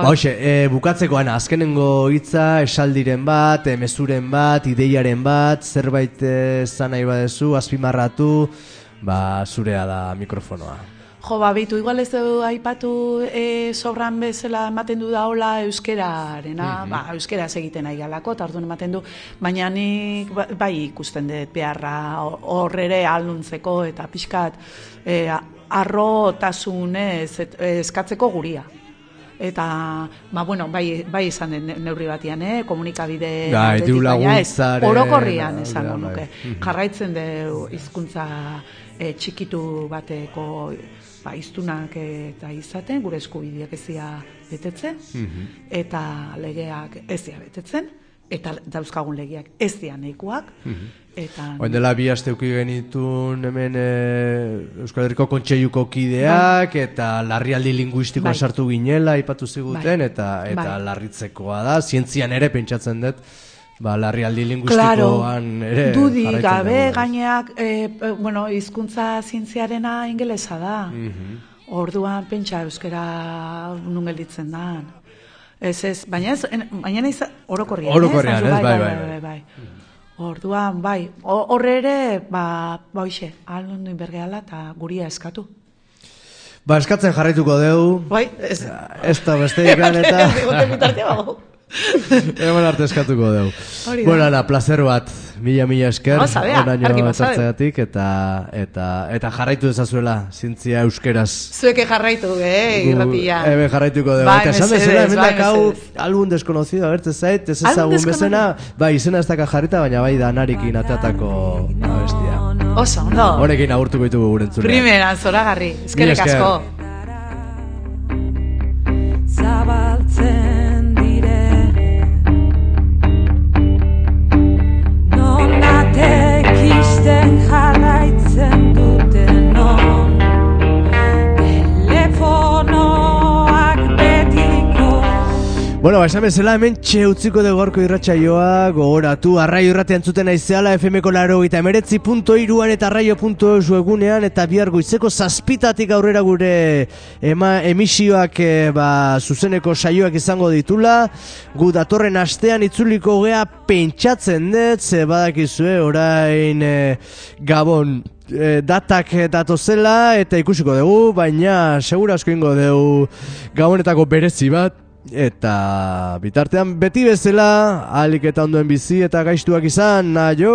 Hoxe, bukatzeko, Ana, azkenengo hitza, esaldiren bat, mezuren bat, ideiaren bat, zerbait zan nahi badezu, azpimarratu, zurea da mikrofonoa. Jo, bitu, igual ez du aipatu sobran bezala ematen du da hola euskerarena, euskeraz egiten nahi galako, eta orduan ematen du, baina nik bai ikusten dut beharra horrere alduntzeko eta pixkat arrotasunez eskatzeko guria. Eta, bai izan den neurri batian, komunikabide orokorrian esango nuke. Jarraitzen du hizkuntza txikitu bateko hiztunak eta izaten, gure eskubideak ezia betetzen, eta legeak ezia betetzen, eta dauzkagun legeak ezia nahikoak. Oen dela 2 aste uki genitun hemen Euskal Herriko Kontseiluko kideak, eta larrialdi linguistikoa sartu ginela, aipatu ziguten, eta larritzekoa da, zientzian ere pentsatzen dut, larrialdi linguistikoan ere dudik gabe gaineak, hizkuntza zientziarena ingelesa da. Orduan pentsa euskera nun gelditzen da. Baina orokorrian, bai. Orduan, bai, horre ere, hoxe, aldundu inbergeala eta guria eskatu. Eskatzen jarraituko dugu. Bai, ez da besteik eta... Eman arte eskatuko dugu. Bueno, Ana, placer bat, mila esker, onaino zartzegatik, eta jarraitu dezazuela, zientzia euskeraz. Zueke jarraitu, irratia. Eben jarraituko dugu. Eta esan bezala, hemen hau algun deskonocido, abertzen zait, ez ezagun bezena, izena ez daka jarrita, baina bai danarikin ateatako abestia. Oso, ondo. Honekin agurtuko ditugu gurentzule. Primera, zoragarri, eskerrik asko. Zabaltzen Tekisten jarraitzen duten non telefonoak betiko. Bueno, esan bezala hemen utziko dugu gaurko irratsaioa, gogoratu, Arraio irratia entzuten aizeala, FM-ko 89.3an eta arraio.eus webunean, eta bihar goizeko 7:00 aurrera gure emisioak zuzeneko saioak izango ditula, gu datorren astean itzuliko gea pentsatzen dut, ze badakizue orain Gabon datak datozela, eta ikusiko dugu, baina segura asko ingo dugu Gabonetako berezi bat, eta bitartean beti bezala ahalik eta ondoen bizi eta gaiztuak izan, aio!